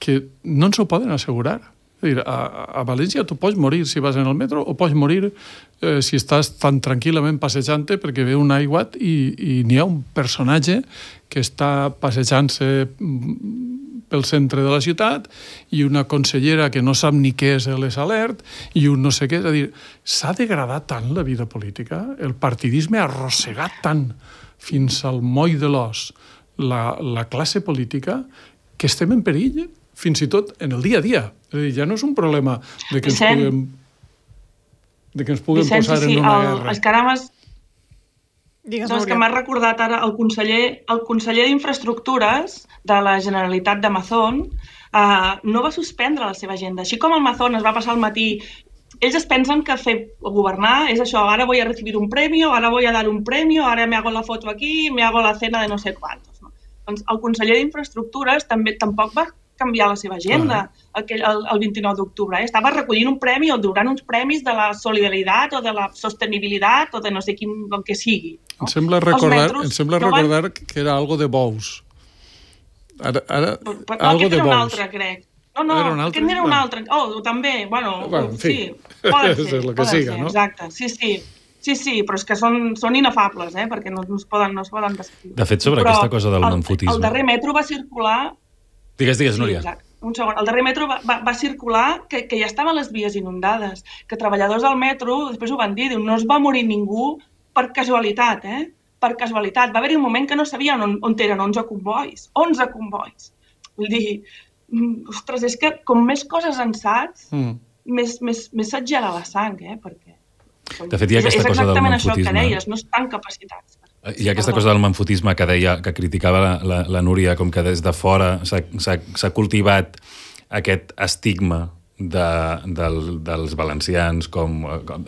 que no ens ho poden assegurar. És a dir, a, a València tu pots morir si vas en el metro o pots morir eh, si estàs tan tranquil·lament passejant-te perquè ve un aiguat i, i n'hi ha un personatge que està passejant-se pel centre de la ciutat i una consellera que no sap ni què és l'Es Alert i un no sé què. És a dir, s'ha degradat tant la vida política, el partidisme ha arrossegat tant fins al moll de l'os La, la classe política, que estem en perill fins i tot en el dia a dia. És a dir, ja no és un problema de que ens Vicent, puguem, de que ens puguem Vicent, posar sí, sí, en una el, guerra. És que ara m'has, Digues, doncs que m'has recordat ara el conseller, el conseller d'Infraestructures de la Generalitat de Mazón eh, no va suspendre la seva agenda. Així com el Mazón es va passar el matí. Ells es pensen que fer governar és això, ara voy a recibir un premio, ara voy a dar un premio, ara me hago la foto aquí, me hago la cena de no sé quantos. No? Doncs el conseller d'Infraestructures també tampoc va canviar la seva agenda aquell, el, el vint-i-nou d'octubre. Eh? Estava recollint un premi o donant uns premis de la solidaritat o de la sostenibilitat o de no sé quin, el que sigui. No? Em sembla recordar, em sembla no recordar van... que era algo de bous. Ara, ara, però, algo aquest de era un bous. altre, crec. No, no, era un altre? aquest era un Ah. altre. Oh, també, bueno, bueno en fi. sí, poden ser, és el que poden siga, ser, no? exacte, sí, sí. Sí, sí, però és que són, són inefables, eh? Perquè no, no, es poden, no es poden descriure. De fet, sobre però aquesta cosa del el, manfotisme... El darrer metro va circular... Digues, digues, sí, Núria. Exacte. Un segon. El darrer metro va, va, va circular que, que ja estaven les vies inundades, que treballadors del metro, després ho van dir, diu, no es va morir ningú per casualitat, eh? Per casualitat. Va haver-hi un moment que no sabien on, on eren onze convois. onze convois. Vull dir, ostres, és que com més coses en saps, mm. més, més, més se't gela la sang, eh? Perquè de fet, hi ha aquesta és cosa del exactament manfotisme. això que deies, no estan capacitats. Hi ha aquesta cosa del manfotisme que deia, que criticava la, la, la Núria, com que des de fora s'ha cultivat aquest estigma de, del, dels valencians, com, com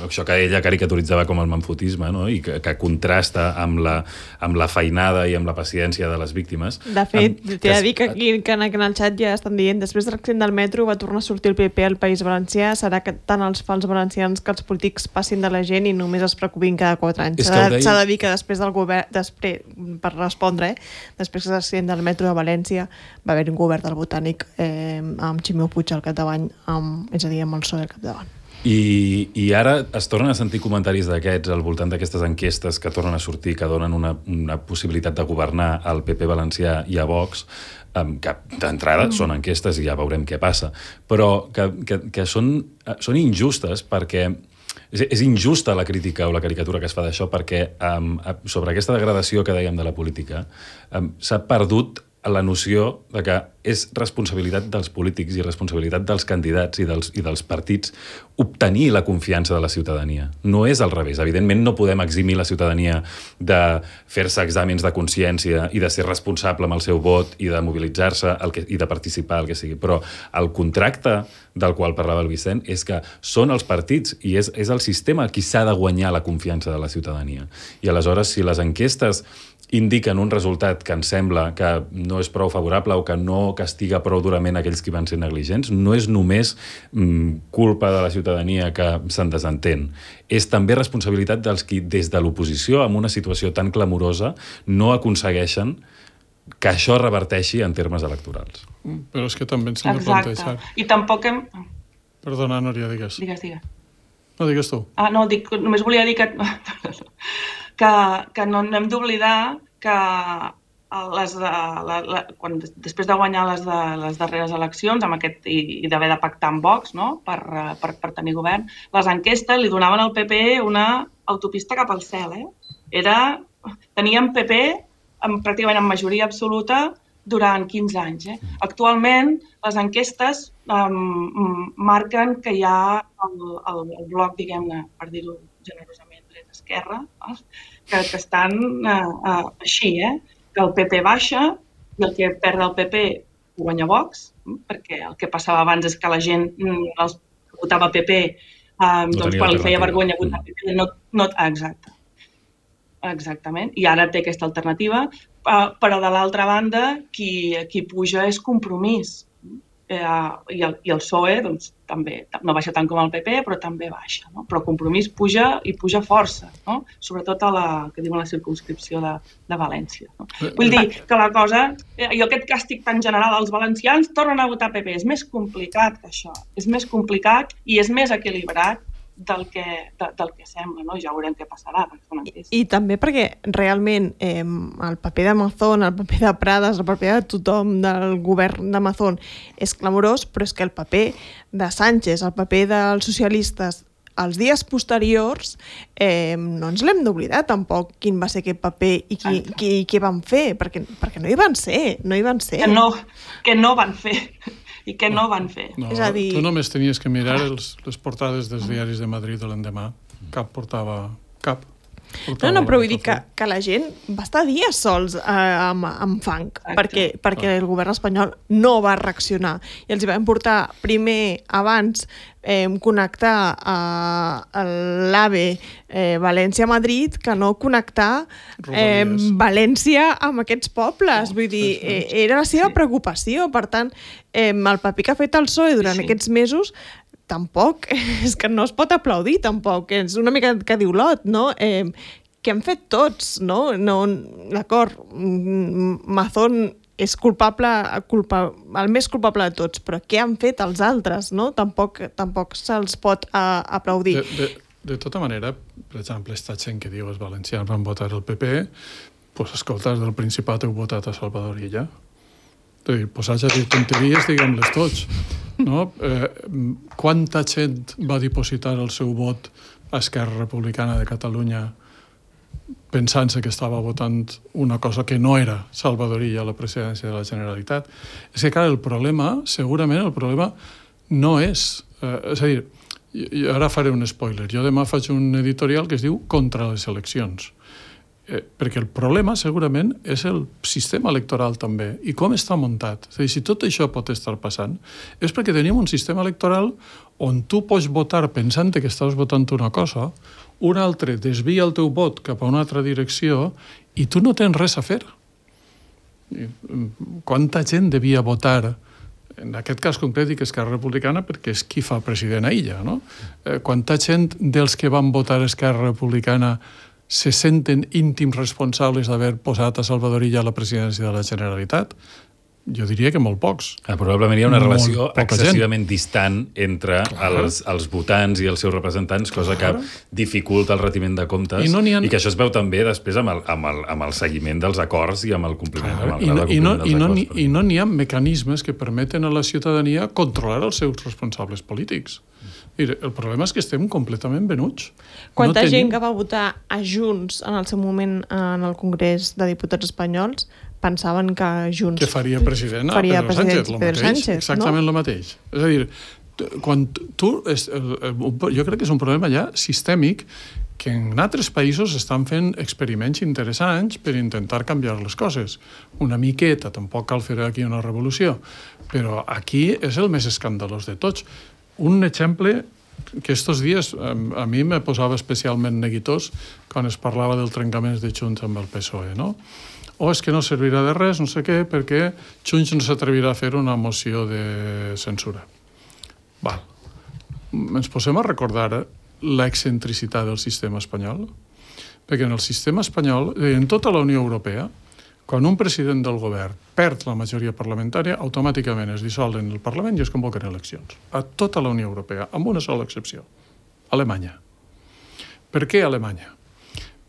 això que ella caricaturitzava com el manfotisme, no? I que, que contrasta amb la, amb la feinada i amb la paciència de les víctimes. De fet, t'he de dir que aquí que en, que en el xat ja estan dient després de l'accident del metro va tornar a sortir el P P al País Valencià, serà que tant els fals valencians que els polítics passin de la gent i només es preocupin cada quatre anys. S'ha de, deia... de dir que després del govern, després, per respondre, eh, després de l'accident del metro de València va haver un govern del Botànic eh, amb Ximio Puig al capdavant, amb, és a dir, amb el P S O E al capdavant. I, I ara es tornen a sentir comentaris d'aquests al voltant d'aquestes enquestes que tornen a sortir, que donen una, una possibilitat de governar al P P valencià i a Vox, que d'entrada mm. són enquestes i ja veurem què passa, però que, que, que són, són injustes perquè és, és injusta la crítica o la caricatura que es fa d'això perquè um, sobre aquesta degradació que dèiem de la política um, s'ha perdut la noció de que és responsabilitat dels polítics i responsabilitat dels candidats i dels, i dels partits obtenir la confiança de la ciutadania. No és al revés. Evidentment no podem eximir la ciutadania de fer-se exàmens de consciència i de ser responsable amb el seu vot i de mobilitzar-se i de participar, el que sigui. Però el contracte del qual parlava el Vicent és que són els partits i és, és el sistema qui s'ha de guanyar la confiança de la ciutadania. I aleshores, si les enquestes indiquen un resultat que ens sembla que no és prou favorable o que no castiga prou durament aquells que van ser negligents, no és només mm, culpa de la ciutadania que se'n desentén. És també responsabilitat dels qui, des de l'oposició, en una situació tan clamorosa, no aconsegueixen que això reverteixi en termes electorals. Però és que també ens hem de plantejar... I tampoc hem... Perdona, Núria, digues. Digues, digues. No, digues tu. Ah, no, dic, només volia dir que... que, que no, no hem d'oblidar que les de, la, la, quan, després de guanyar les, de, les darreres eleccions amb aquest, i, i d'haver de pactar amb Vox, no? per, per, per tenir govern, les enquestes li donaven al P P una autopista cap al cel. Eh? Era, teníem P P amb, pràcticament en majoria absoluta durant quinze anys. Eh? Actualment, les enquestes um, marquen que hi ha el, el, el bloc, diguem-ne, per dir-ho generosament, dreta-esquerra, eh? que, que estan uh, uh, així, eh? que el P P baixa i el que perd el P P ho guanya Vox, perquè el que passava abans és que la gent els votava P P, um, no doncs quan li feia vergonya votar P P, no, no, exacte. Exactament, i ara té aquesta alternativa, uh, però de l'altra banda qui, qui puja és Compromís. Eh, i, el, I el P S O E doncs, també no baixa tant com el P P, però també baixa. No? Però Compromís puja i puja força, no? Sobretot a la, que diuen la circumscripció de, de València. No? Vull dir que la cosa, eh, jo aquest càstig tan general als valencians tornen a votar P P, és més complicat que això, és més complicat i és més equilibrat del que, de, del que sembla, no? Ja veurem què passarà. I, I també perquè realment eh, el paper d'Amazon, el paper de Prades, el paper de tothom del govern d'Amazon és clamorós, però és que el paper de Sánchez, el paper dels socialistes, els dies posteriors eh, no ens l'hem d'oblidar tampoc quin va ser aquest paper i qui, qui, qui van fer, perquè, perquè no hi van ser, no hi van ser. Que no, que no van fer. I què no van fer. No, és a dir... Tu només tenies que mirar els, les portades dels diaris de Madrid l'endemà. Cap portava... Cap. No, no, però vull dir que, que la gent va estar dies sols eh, amb, amb fang, perquè, perquè el govern espanyol no va reaccionar. I els van portar primer, abans, eh, connectar a l'AVE eh, València-Madrid que no connectar eh, València amb aquests pobles. Vull dir, eh, era la seva preocupació. Per tant, eh, el paper que ha fet el P S O E durant sí. aquests mesos tampoc, és que no es pot aplaudir tampoc, és una mica que diu l'Ot, no? Eh, que han fet tots, no? no D'acord, Mazón és culpable, culpa, el més culpable de tots, però què han fet els altres, no? Tampoc, tampoc se'ls pot uh, aplaudir. De, de, de tota manera, per exemple, aquesta gent que diu els valencians van votar el P P, doncs escolta, del Principat heu votat a Salvador Illa. És a dir, posats a dir tonteries, diguem-les tots. No? Eh, quanta gent va dipositar el seu vot a Esquerra Republicana de Catalunya pensant-se que estava votant una cosa que no era Salvador Illa a la presidència de la Generalitat? És que, clar, el problema, segurament el problema no és... Eh, és a dir, jo ara faré un spoiler. Jo demà faig un editorial que es diu Contra les eleccions. Eh, perquè el problema, segurament, és el sistema electoral també, i com està muntat. És a dir, si tot això pot estar passant, és perquè tenim un sistema electoral on tu pots votar pensant que estàs votant una cosa, un altre desvia el teu vot cap a una altra direcció i tu no tens res a fer. Quanta gent devia votar, en aquest cas concret dic Esquerra Republicana perquè és qui fa president a ella, no? Eh, quanta gent dels que van votar Esquerra Republicana se senten íntims responsables d'haver posat a Salvador Illa a la presidència de la Generalitat? Jo diria que molt pocs. Ah, probablement hi ha una relació excessivament gent. distant entre els, els votants i els seus representants, cosa Clar. que dificulta el retiment de comptes, I, no ha... i que això es veu també després amb el, amb el, amb el seguiment dels acords i amb el compliment, amb el I, no, compliment i, no, dels i, no, acords. I no n'hi ha mecanismes que permeten a la ciutadania controlar els seus responsables polítics. Mira, el problema és que estem completament venuts. Quanta no gent tenim... que va votar a Junts en el seu moment en el Congrés de Diputats Espanyols pensaven que Junts... Que faria president a faria Pedro Sánchez, el Pedro mateix, Sánchez, exactament no? el mateix. És a dir, quan tu... Jo crec que és un problema ja sistèmic que en altres països estan fent experiments interessants per intentar canviar les coses. Una miqueta, tampoc cal fer aquí una revolució, però aquí és el més escandalós de tots. Un exemple que estos dies a mi me posava especialment neguitós quan es parlava del trencament de Junts amb el P S O E, no? O és que no servirà de res, no sé què, perquè Junts no s'atrevirà a fer una moció de censura. Val. Ens posem a recordar l'excentricitat del sistema espanyol? Perquè en el sistema espanyol, en tota la Unió Europea, quan un president del govern perd la majoria parlamentària, automàticament es dissolen el Parlament i es convoquen eleccions. A tota la Unió Europea, amb una sola excepció. Alemanya. Per què Alemanya?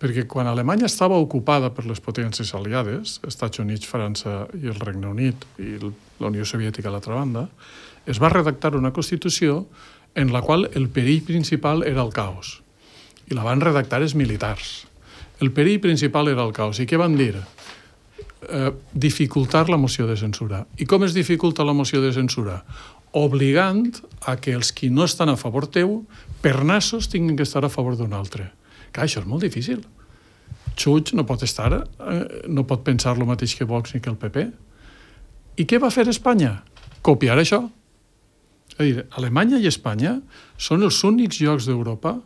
Perquè quan Alemanya estava ocupada per les potències aliades, Estats Units, França i el Regne Unit i la Unió Soviètica a l'altra banda, es va redactar una Constitució en la qual el perill principal era el caos. I la van redactar els militars. El perill principal era el caos. I què van dir? Eh, dificultar la moció de censura. I com es dificulta la moció de censura? Obligant a que els qui no estan a favor teu, per nassos, tinguin que estar a favor d'un altre. Clar, això és molt difícil. Puig no pot estar, eh, no pot pensar el mateix que Vox ni que el P P. I què va fer Espanya? Copiar això. És a dir, Alemanya i Espanya són els únics llocs d'Europa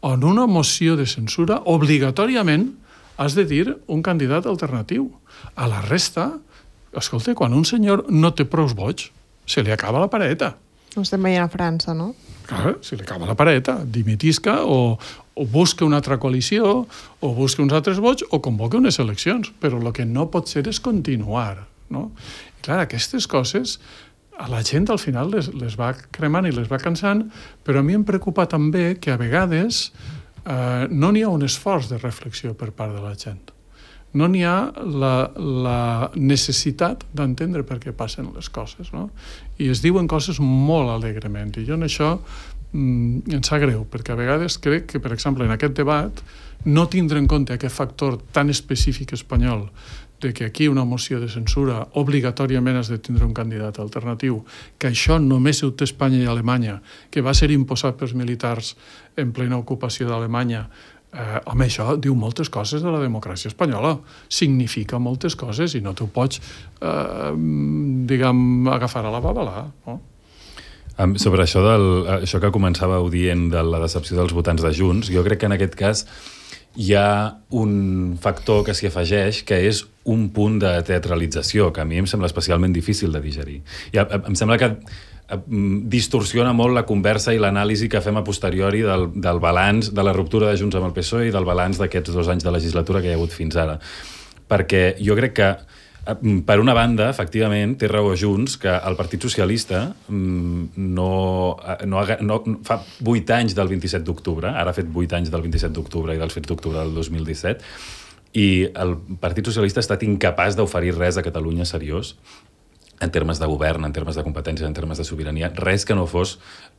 on una moció de censura obligatòriament has de dir un candidat alternatiu. A la resta, escolta, quan un senyor no té prous vots, se li acaba la pareta. Ho estem veient a França, no? Clar, se li acaba la pareta. Dimitisca o, o busca una altra coalició o busca uns altres vots o convoca unes eleccions. Però el que no pot ser és continuar, no? I clar, aquestes coses a la gent al final les, les va cremant i les va cansant, però a mi em preocupa també que a vegades eh, no n'hi ha un esforç de reflexió per part de la gent. No n'hi ha la, la necessitat d'entendre per què passen les coses, no? I es diuen coses molt alegrement, i jo en això mm, em sap greu, perquè a vegades crec que, per exemple, en aquest debat no tindre en compte aquest factor tan específic espanyol de que aquí una moció de censura obligatòriament has de tindre un candidat alternatiu, que això només ho té Espanya i Alemanya, que va ser imposat pels militars en plena ocupació d'Alemanya. Eh, home, això diu moltes coses de la democràcia espanyola, significa moltes coses i no t'ho pots, eh, diguem, agafar a la babalà, no? Um, sobre això, del, això que començàveu dient de la decepció dels votants de Junts, jo crec que en aquest cas hi ha un factor que s'hi afegeix, que és un punt de teatralització, que a mi em sembla especialment difícil de digerir. I em sembla que distorsiona molt la conversa i l'anàlisi que fem a posteriori del, del balanç de la ruptura de Junts amb el P S O E i del balanç d'aquests dos anys de legislatura que hi ha hagut fins ara. Perquè jo crec que, per una banda, efectivament, té raó Junts que el Partit Socialista no, no, no, fa vuit anys del vint-i-set d'octubre, ara ha fet vuit anys del vint-i-set d'octubre i dels fets d'octubre del dos mil disset, i el Partit Socialista ha estat incapaç d'oferir res a Catalunya seriós, en termes de govern, en termes de competències, en termes de sobirania, res que no fos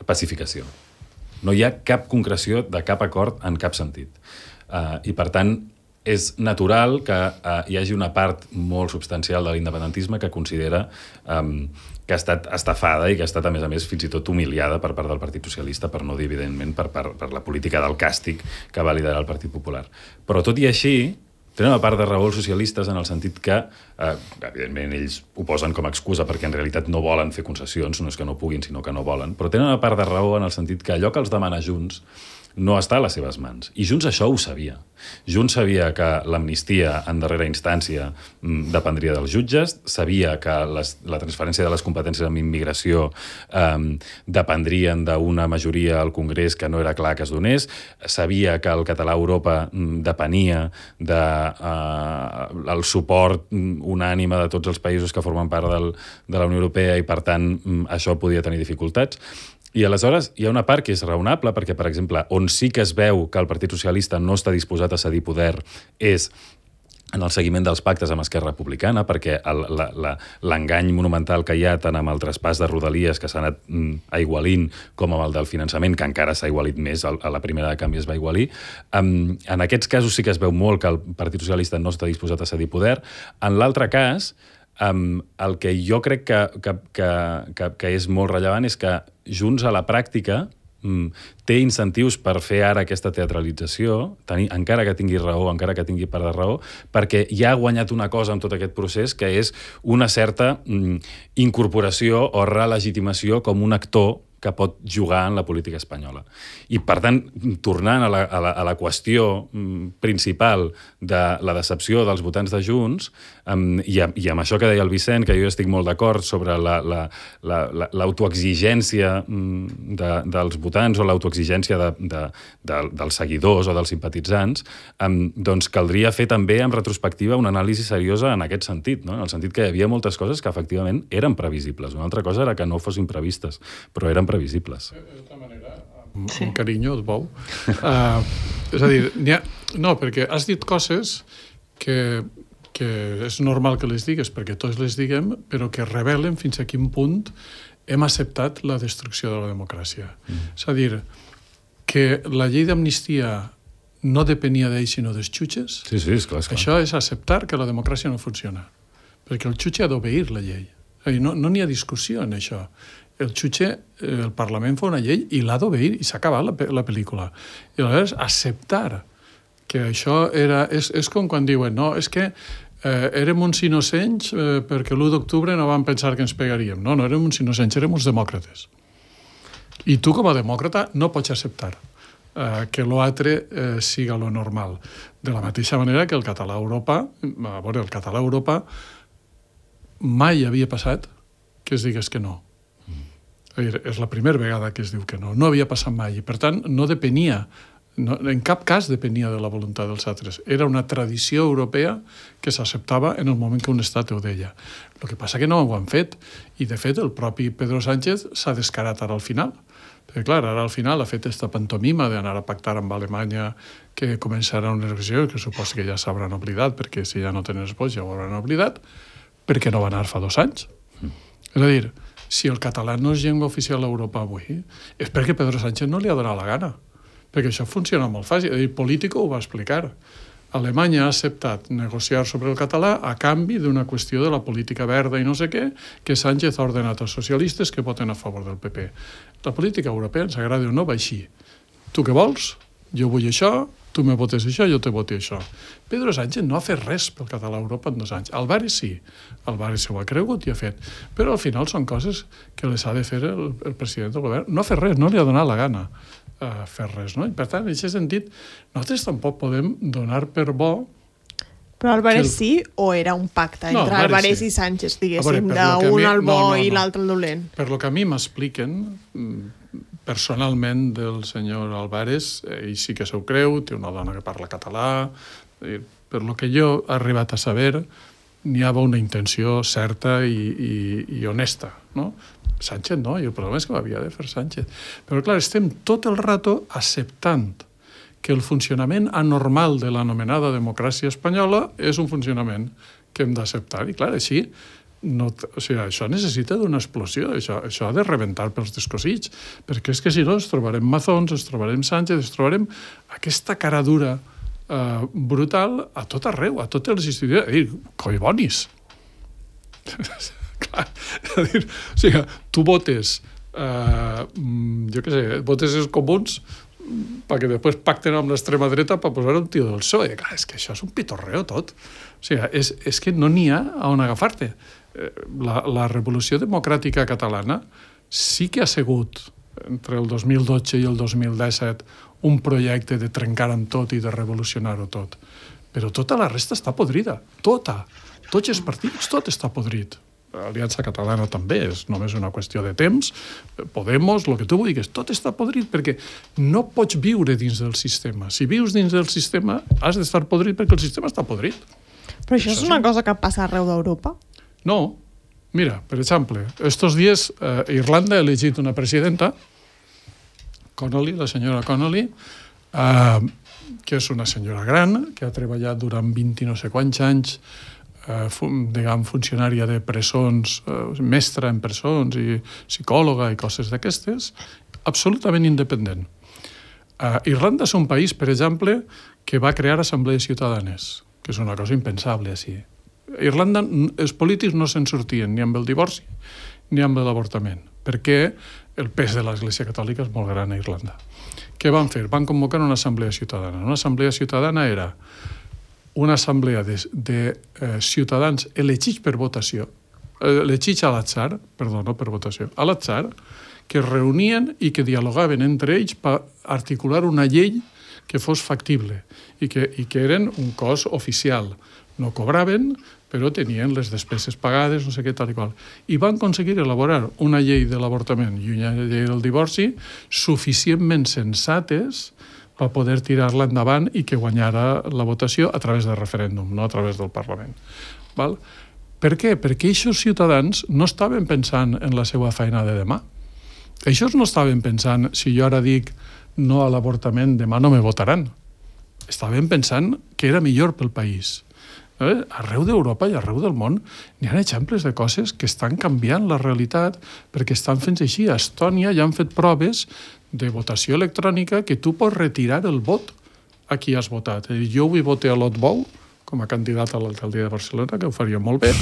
pacificació. No hi ha cap concreció de cap acord en cap sentit. Uh, I, per tant, és natural que uh, hi hagi una part molt substancial de l'independentisme que considera um, que ha estat estafada i que ha estat, a més a més, fins i tot humiliada per part del Partit Socialista, per no dir, evidentment, per, per, per la política del càstig que va liderar el Partit Popular. Però, tot i així, tenen una part de raó els socialistes en el sentit que, eh, evidentment, ells ho posen com a excusa perquè en realitat no volen fer concessions, no és que no puguin, sinó que no volen, però tenen una part de raó en el sentit que allò que els demana Junts no està a les seves mans. I Junts això ho sabia. Junts sabia que l'amnistia en darrera instància dependria dels jutges, sabia que les, la transferència de les competències en immigració eh, dependrien d'una majoria al Congrés que no era clar que es donés, sabia que el català a Europa depenia del de, eh, suport unànime de tots els països que formen part del, de la Unió Europea i, per tant, això podia tenir dificultats. I aleshores hi ha una part que és raonable perquè, per exemple, on sí que es veu que el Partit Socialista no està disposat a cedir poder és en el seguiment dels pactes amb Esquerra Republicana, perquè l'engany monumental que hi ha tant amb el traspàs de Rodalies que s'ha anat aigualint com amb el del finançament, que encara s'ha aigualit més, a la primera de canvi es va aigualir. En aquests casos sí que es veu molt que el Partit Socialista no està disposat a cedir poder. En l'altre cas, Um, el que jo crec que, que, que, que, que és molt rellevant és que Junts a la pràctica um, té incentius per fer ara aquesta teatralització, tenir, encara que tingui raó, encara que tingui part de raó, perquè ja ha guanyat una cosa en tot aquest procés, que és una certa um, incorporació o relegitimació com un actor que pot jugar en la política espanyola. I, per tant, tornant a la, a la, a la qüestió principal de la decepció dels votants de Junts, um, i, a, i amb això que deia el Vicent, que jo estic molt d'acord sobre l'autoexigència la, la, la, de, dels votants o l'autoexigència de, de, de, dels seguidors o dels simpatitzants, um, doncs caldria fer també en retrospectiva una anàlisi seriosa en aquest sentit, no? En el sentit que hi havia moltes coses que efectivament eren previsibles. Una altra cosa era que no fossin previstes, però eren previsibles. De tota manera, amb sí. carinyo, es veu. Uh, és a dir, ha... no, perquè has dit coses que, que és normal que les digues, perquè tots les diguem, però que revelen fins a quin punt hem acceptat la destrucció de la democràcia. Mm. És a dir, que la llei d'amnistia no depenia d'ells sinó dels jutges, sí, sí, és clar, és clar. Això és acceptar que la democràcia no funciona, perquè el jutge ha d'obeir la llei. És a dir, no, no n'hi ha discussió en això. El jutge, el Parlament fa una llei i l'ha d'obeir i s'ha acabat la, la pel·lícula. I aleshores acceptar que això era... És, és com quan diuen, no, és que eh, érem uns innocents eh, perquè l'u d'octubre no vam pensar que ens pegaríem. No, no érem uns innocents, érem uns demòcrates. I tu, com a demòcrata, no pots acceptar eh, que l'altre eh, siga lo normal. De la mateixa manera que el català a Europa, a veure, el català a Europa mai havia passat que es digués que no. És la primera vegada que es diu que no. No havia passat mai i, per tant, no depenia, no, en cap cas depenia de la voluntat dels altres. Era una tradició europea que s'acceptava en el moment que un estat ho deia. El que passa que no ho han fet i, de fet, el propi Pedro Sánchez s'ha descarat ara al final. Perquè, clar, ara al final ha fet aquesta pantomima d'anar a pactar amb Alemanya que començarà una negociació que suposo que ja s'hauran oblidat, perquè si ja no tenen esposa ja ho hauran oblidat, perquè no va anar fa dos anys. Mm. És a dir, si el català no és llengua oficial a Europa avui, és perquè Pedro Sánchez no li ha donat la gana. Perquè això funciona molt fàcil. El Político ho va explicar. Alemanya ha acceptat negociar sobre el català a canvi d'una qüestió de la política verda i no sé què, que Sánchez ha ordenat als socialistes que voten a favor del P P. La política europea, ens agrada o no, va així. Tu què vols? Jo vull això, tu me votes això, jo te voti això. Pedro Sánchez no ha fet res pel català a Europa en dos anys. Álvarez sí. Álvarez ho ha cregut i ha fet. Però al final són coses que les ha de fer el, el president del govern. No ha fet res, no li ha donat la gana uh, fer res, no? I per tant, en aquest sentit, nosaltres tampoc podem donar per bo... Però Álvarez el... sí o era un pacte entre no, Álvarez sí. i Sánchez, d'un diguéssim, al bo no, no, no. i l'altre al dolent? Per lo que a mi m'expliquen... personalment del senyor Álvarez, ell sí que s'ho creu, té una dona que parla català, per lo que jo he arribat a saber, n'hi havia una intenció certa i, i, i honesta, no? Sánchez no, i el problema és que ho havia de fer Sánchez. Però clar, estem tot el rato acceptant que el funcionament anormal de l'anomenada democràcia espanyola és un funcionament que hem d'acceptar, i clar, així no, o sigui, això necessita d'una explosió, això, això ha de rebentar pels descosits, perquè és que si no ens trobarem Mazons, ens trobarem Sánchez, ens trobarem aquesta cara dura eh, brutal a tot arreu, a totes les institucions, a dir, coi bonis. És a dir, o sigui, tu votes, eh, jo què sé, votes els comuns perquè després pacten amb l'extrema dreta per posar un tio del P S O E. Clar, és que això és un pitorreo tot. O sigui, és, és que no n'hi ha on agafar-te. La, la revolució democràtica catalana sí que ha sigut, entre el dos mil dotze i el dos mil disset, un projecte de trencar amb tot i de revolucionar-ho tot. Però tota la resta està podrida. Tota. Tots els partits, tot està podrit. L'Aliança Catalana també és només una qüestió de temps. Podemos, el que tu vulguis, tot està podrit perquè no pots viure dins del sistema. Si vius dins del sistema, has d'estar podrit perquè el sistema està podrit. Però això, això és una cosa que passa arreu d'Europa? No. Mira, per exemple, estos dies eh, Irlanda ha elegit una presidenta, Connolly, la senyora Connolly, eh, que és una senyora gran, que ha treballat durant vint i no sé quants anys, eh, fun, diguem, funcionària de presons, eh, mestra en presons i psicòloga i coses d'aquestes, absolutament independent. Eh, Irlanda és un país, per exemple, que va crear assemblees ciutadanes, que és una cosa impensable així. A Irlanda, els polítics no se'n sortien ni amb el divorci ni amb l'avortament, perquè el pes de l'Església Catòlica és molt gran a Irlanda. Què van fer? Van convocar una assemblea ciutadana. Una assemblea ciutadana era una assemblea de, de eh, ciutadans elegits per votació, eh, elegits a l'atzar, perdó, no per votació, a l'atzar, que es reunien i que dialogaven entre ells per articular una llei que fos factible i que, i que eren un cos oficial. No cobraven, però tenien les despeses pagades, no sé què, tal i qual. I van aconseguir elaborar una llei de l'avortament i una llei del divorci suficientment sensates per poder tirar-la endavant i que guanyara la votació a través del referèndum, no a través del Parlament. Val? Per què? Perquè aquests ciutadans no estaven pensant en la seva feina de demà. Ells no estaven pensant, si jo ara dic no a l'avortament, demà no me votaran. Estaven pensant que era millor pel país. Eh? Arreu d'Europa i arreu del món n'hi ha exemples de coses que estan canviant la realitat perquè estan fent així. A Estònia ja han fet proves de votació electrònica que tu pots retirar el vot a qui has votat. Jo avui voté a Lot Bou com a candidat a l'alcaldia de Barcelona, que ho faria molt bé,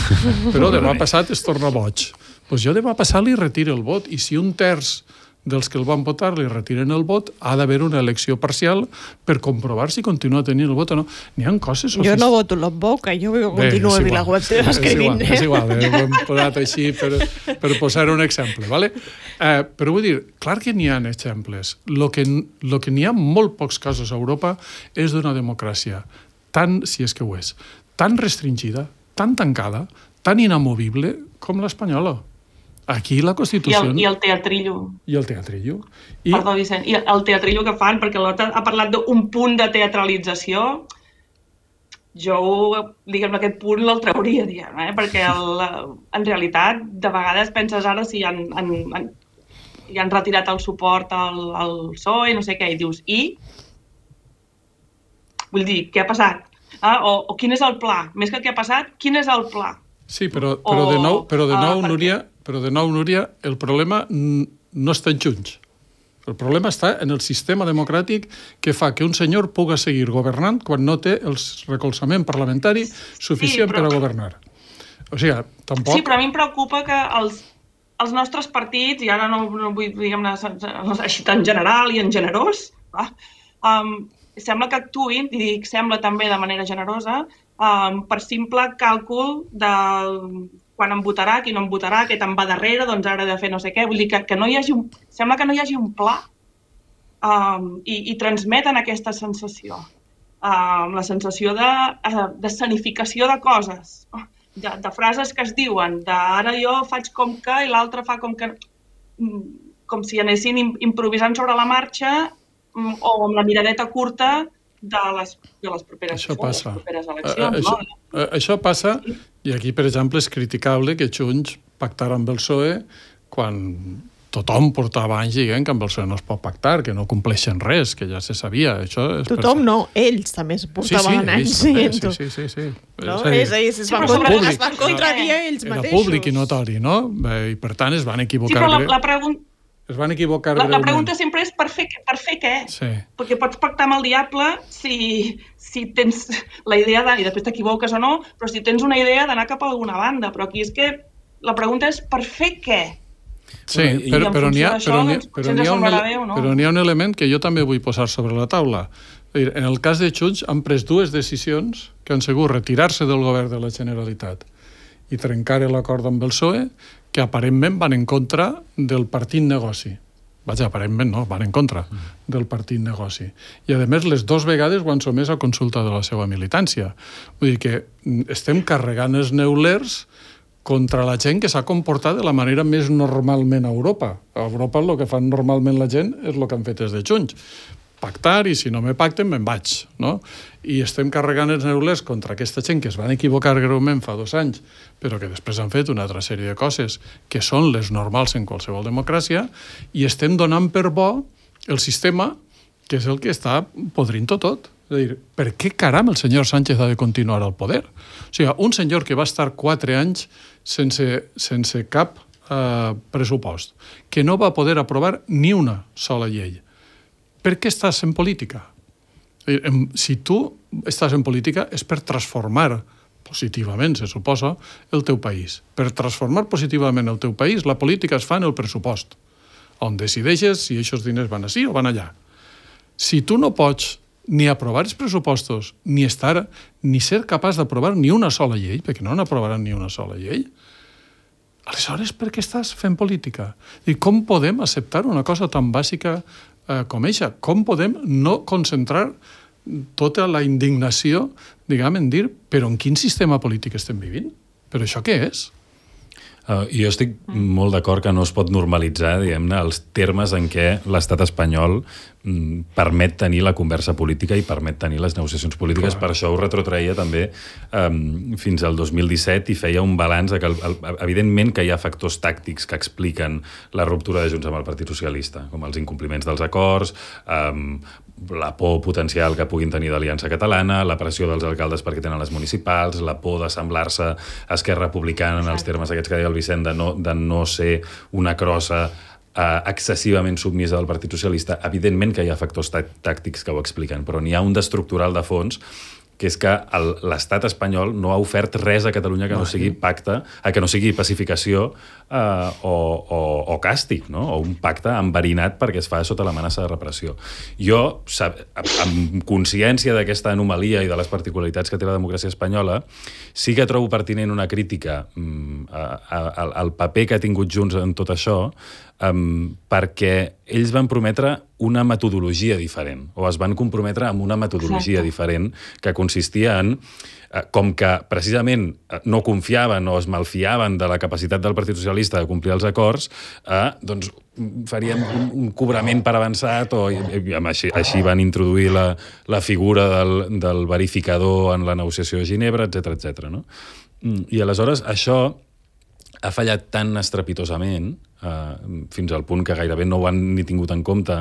però demà passat es torna boig. Doncs jo demà passat li retiro el vot i si un terç dels que el van votar li retiren el vot, ha d'haver una elecció parcial per comprovar si continua tenint el vot o no. N'hi ha coses... Jo no voto Lot Bou, que jo continuo a VilaWeb teva escrivint. És igual, eh? Ho hem posat així per, per posar un exemple, ¿vale? Eh, però vull dir, clar que n'hi ha exemples. Lo que, lo que n'hi ha molt pocs casos a Europa és d'una democràcia tan, si és que ho és, tan restringida, tan tancada, tan inamovible com l'espanyola. Aquí la Constitució... I el, i el teatrillo. I el teatrillo. I... Perdó, Vicent. I el teatrillo que fan, perquè l'Ota ha parlat d'un punt de teatralització, jo, diguem, aquest punt l'el trauria, diguem, eh? Perquè el, en realitat, de vegades penses ara si han, han, han, han retirat el suport al, al P S O E, no sé què, i dius, i? Vull dir, què ha passat? Ah, o, o quin és el pla? Més que què ha passat, quin és el pla? Sí, però, però de nou, però de nou, Núria, però de nou, Núria, el problema no està en Junts. El problema està en el sistema democràtic que fa que un senyor puga seguir governant quan no té el recolzament parlamentari suficient sí, però... per a governar. O sigui, tampoc... Sí, però a mi em preocupa que els, els nostres partits, i ara no, no vull diguem-ne així tan general i en generós, va, um, sembla que actuïn, i dic sembla també de manera generosa, Um, per simple càlcul de quan em votarà, qui no em votarà, què te'n va darrere, doncs ara he de fer no sé què. Vull dir que, que no hi hagi un, sembla que no hi hagi un pla um, i, i transmeten aquesta sensació. Um, la sensació de, de sanificació de coses, de, de frases que es diuen, de ara jo faig com que i l'altre fa com que... com si anessin improvisant sobre la marxa o amb la miradeta curta de les, de les, properes, això passa. les properes eleccions. Això, no? això passa, i aquí, per exemple, és criticable que Junts pactara amb el P S O E quan tothom portava anys dient que amb el P S O E no es pot pactar, que no compleixen res, que ja se sabia. Això és tothom per... no, ells també es portaven sí, sí, anys dient-ho. Sí, sí, sí. sí. No? És a dir, ells, ells es van, sí, contra... es van contradir no, ells era mateixos. Era públic i notori, no? I per tant es van equivocar. Sí, però la, la pregunta... Es van equivocar la, la pregunta sempre és per fer, per fer què? Sí. Perquè pots pactar amb el diable si, si tens la idea de... i després t'equivoques o no, però si tens una idea d'anar cap a alguna banda. Però aquí és que La pregunta és per fer què? Sí, però, però n'hi ha, però n'hi ha, però n'hi ha, un, no? però n'hi ha un element que jo també vull posar sobre la taula. En el cas de Junts han pres dues decisions que han sigut retirar-se del govern de la Generalitat i trencar l'acord amb el P S O E, que aparentment van en contra del partit negoci. Vaja, aparentment no, van en contra del partit negoci. I, a més, les dues vegades ho han somès a consulta de la seva militància. Vull dir que estem carregant els neulers contra la gent que s'ha comportat de la manera més normalment a Europa. A Europa el que fan normalment la gent és el que han fet des de Junts. Pactar, i si no me pacten, me'n vaig. No? I estem carregant els neulers contra aquesta gent que es van equivocar greument fa dos anys, però que després han fet una altra sèrie de coses que són les normals en qualsevol democràcia, i estem donant per bo el sistema, que és el que està podrint-ho tot. És a dir, per què caram el senyor Sánchez ha de continuar al poder? O sigui, un senyor que va estar quatre anys sense, sense cap eh, pressupost, que no va poder aprovar ni una sola llei. Per què estàs en política? Si tu estàs en política és per transformar positivament, se suposa, el teu país. Per transformar positivament el teu país, la política es fa en el pressupost, on decideixes si aquests diners van així o van allà. Si tu no pots ni aprovar els pressupostos, ni estar, ni ser capaç d'aprovar ni una sola llei, perquè no n'aprovaran ni una sola llei, aleshores per què estàs fent política? I com podem acceptar una cosa tan bàsica eh, com eixa? Com podem no concentrar tota la indignació, diguem, en dir, però en quin sistema polític estem vivint? Però això què és? Uh, jo estic molt d'acord que no es pot normalitzar, diguem-ne, els termes en què l'estat espanyol mm, permet tenir la conversa política i permet tenir les negociacions polítiques. Clar. Per això ho retrotreia també um, fins al dos mil disset i feia un balanç de que, el, el, evidentment, que hi ha factors tàctics que expliquen la ruptura de Junts amb el Partit Socialista, com els incompliments dels acords, um, la por potencial que puguin tenir d'Aliança Catalana, la pressió dels alcaldes perquè tenen les municipals, la por d'assemblar-se a Esquerra Republicana en els termes aquests que deia el Vicent, de no, de no ser una crossa eh, excessivament submisa del Partit Socialista. Evidentment que hi ha factors tàctics que ho expliquen, però n'hi ha un d'estructural de fons, que és que el, l'estat espanyol no ha ofert res a Catalunya que no sigui pacte, que no sigui pacificació eh, o, o, o càstig, no? O un pacte enverinat perquè es fa sota l'amenaça de repressió. Jo, sab, amb consciència d'aquesta anomalia i de les particularitats que té la democràcia espanyola, sí que trobo pertinent una crítica mm, a, a, al paper que ha tingut Junts en tot això, Um, perquè ells van prometre una metodologia diferent, o es van comprometre amb una metodologia Exacte. diferent que consistia en, uh, com que precisament no confiaven o es malfiaven de la capacitat del Partit Socialista de complir els acords, uh, doncs faríem un, un cobrament per avançat, o i, i, així, així van introduir la, la figura del, del verificador en la negociació de Ginebra, etcètera, etcètera, no? I aleshores això ha fallat tan estrepitosament Uh, fins al punt que gairebé no ho han ni tingut en compte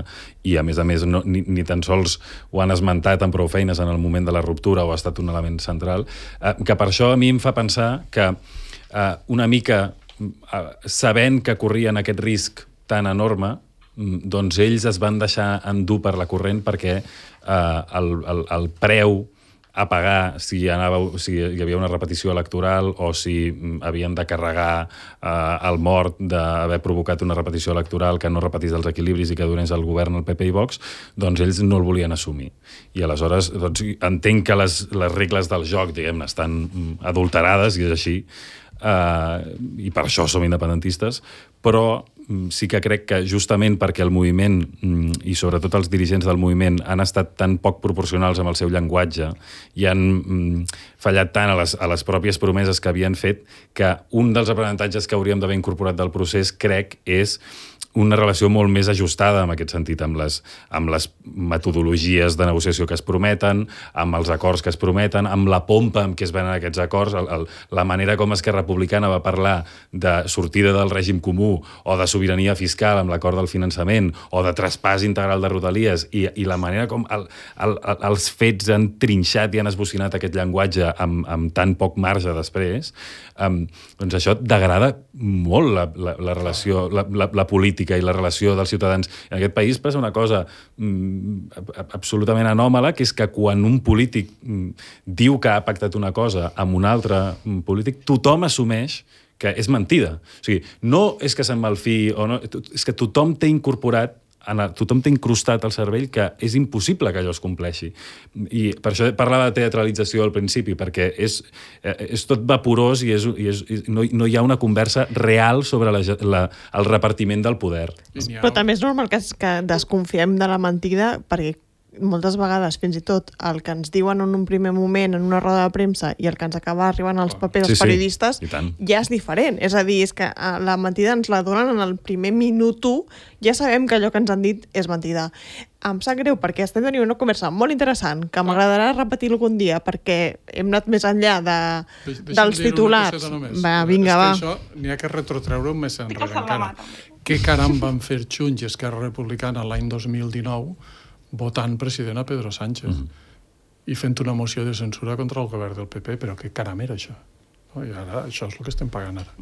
i, a més a més, no, ni, ni tan sols ho han esmentat amb prou feines en el moment de la ruptura o ha estat un element central, uh, que per això a mi em fa pensar que uh, una mica uh, sabent que corrien aquest risc tan enorme, doncs ells es van deixar endur per la corrent perquè uh, el, el, el preu a pagar si, anava, si hi havia una repetició electoral o si havien de carregar eh, el mort d'haver provocat una repetició electoral que no repetís els equilibris i que donés al govern el P P i Vox, doncs ells no el volien assumir. I aleshores doncs, entenc que les, les regles del joc, diguem-ne, estan adulterades, i és així, eh, i per això som independentistes, però sí que crec que justament perquè el moviment i sobretot els dirigents del moviment han estat tan poc proporcionals amb el seu llenguatge i han fallat tant a les, a les pròpies promeses que havien fet, que un dels aprenentatges que hauríem d'haver incorporat del procés, crec, és una relació molt més ajustada en aquest sentit, amb les, amb les metodologies de negociació que es prometen, amb els acords que es prometen, amb la pompa amb què es venen aquests acords, el, el, la manera com Esquerra Republicana va parlar de sortida del règim comú o de sobirania fiscal amb l'acord del finançament o de traspàs integral de Rodalies, i, i la manera com el, el, el, els fets han trinxat i han esbocinat aquest llenguatge amb, amb tan poc marge després, um, doncs això degrada molt la, la, la relació, la, la, la política i la relació dels ciutadans. En aquest país passa una cosa mm, absolutament anòmala, que és que quan un polític mm, diu que ha pactat una cosa amb un altre mm, polític, tothom assumeix que és mentida. O sigui, no és que se'n malfiï, o no, és que tothom té incorporat, tothom té incrustat al cervell que és impossible que allò es compleixi. I per això parlava de teatralització al principi, perquè és, és tot vaporós i, és, i, és, i no, no hi ha una conversa real sobre la, la, el repartiment del poder. Però també és normal que, que desconfiem de la mentida, perquè moltes vegades, fins i tot, el que ens diuen en un primer moment en una roda de premsa i el que ens acaba arribant als papers sí, dels periodistes sí, ja és diferent. És a dir, és que la mentida ens la donen en el primer minut u, ja sabem que allò que ens han dit és mentida. Em sap greu perquè estem tenint una conversa molt interessant que m'agradarà repetir algun dia perquè hem anat més enllà de, dels titulars. Va, vinga, va. És que això n'hi ha que retrotreure més enrere encara. Què caram van fer Junts i Esquerra Republicana l'any dos mil dinou votant president a Pedro Sánchez mm-hmm. i fent una moció de censura contra el govern del P P, però què caram era això? No? I ara això és el que estem pagant ara.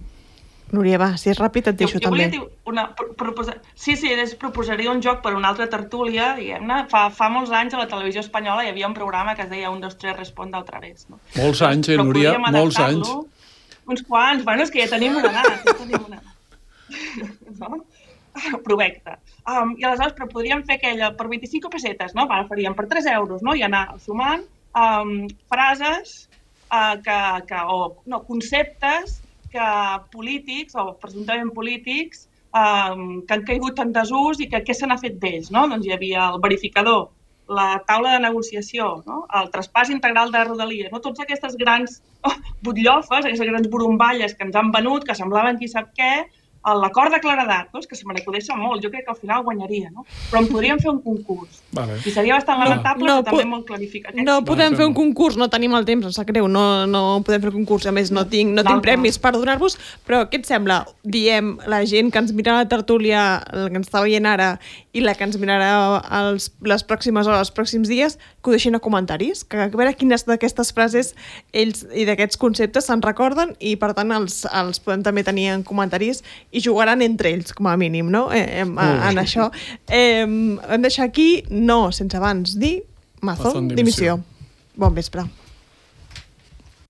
Núria, va, si és ràpid et deixo jo, jo també. Dir una, proposa... Sí, sí, es proposaria un joc per una altra tertúlia, diguem-ne. Fa, fa molts anys a la televisió espanyola hi havia un programa que es deia un, dos, tres, respon del través. No? Molts anys, eh, Núria? Molts anys. Uns quants. Bueno, és que ja tenim una edat. Ja tenim una edat. No? Provecte. Um, I aleshores però podríem fer aquella per vint-i-cinc pessetes, no? Ara faríem per tres euros, no? I anar sumant um, frases uh, que, que, o no, conceptes que polítics o presumptament polítics um, que han caigut en desús i que què se n'ha fet d'ells, no? Doncs hi havia el verificador, la taula de negociació, no? El traspàs integral de Rodalies, no? Tots aquestes grans oh, butllofes, aquestes grans borumballes que ens han venut, que semblaven qui sap què, l'acord de claredat, no? És que se me n'acudeix molt, jo crec que al final guanyaria, no? Però en podríem fer un concurs. Vale. I seria bastant lamentable, no, no, però també molt clarificatiu. No podem fer un concurs, no tenim el temps, em sap greu, no, no podem fer un concurs, a més no tinc, no tinc premis per donar-vos, però què et sembla? Diem, la gent que ens mira la tertúlia, la que ens està veient ara, i la que ens mirarà els, les pròximes hores, els pròxims dies, que ho deixin a comentaris, que a veure quines d'aquestes frases ells i d'aquests conceptes se'n recorden i per tant els, els podem també tenir en comentaris i jugaran entre ells, com a mínim, no? Eh, en, en això. Eh, hem deixat aquí, no sense abans dir, Mazón, dimissió. Bon vespre.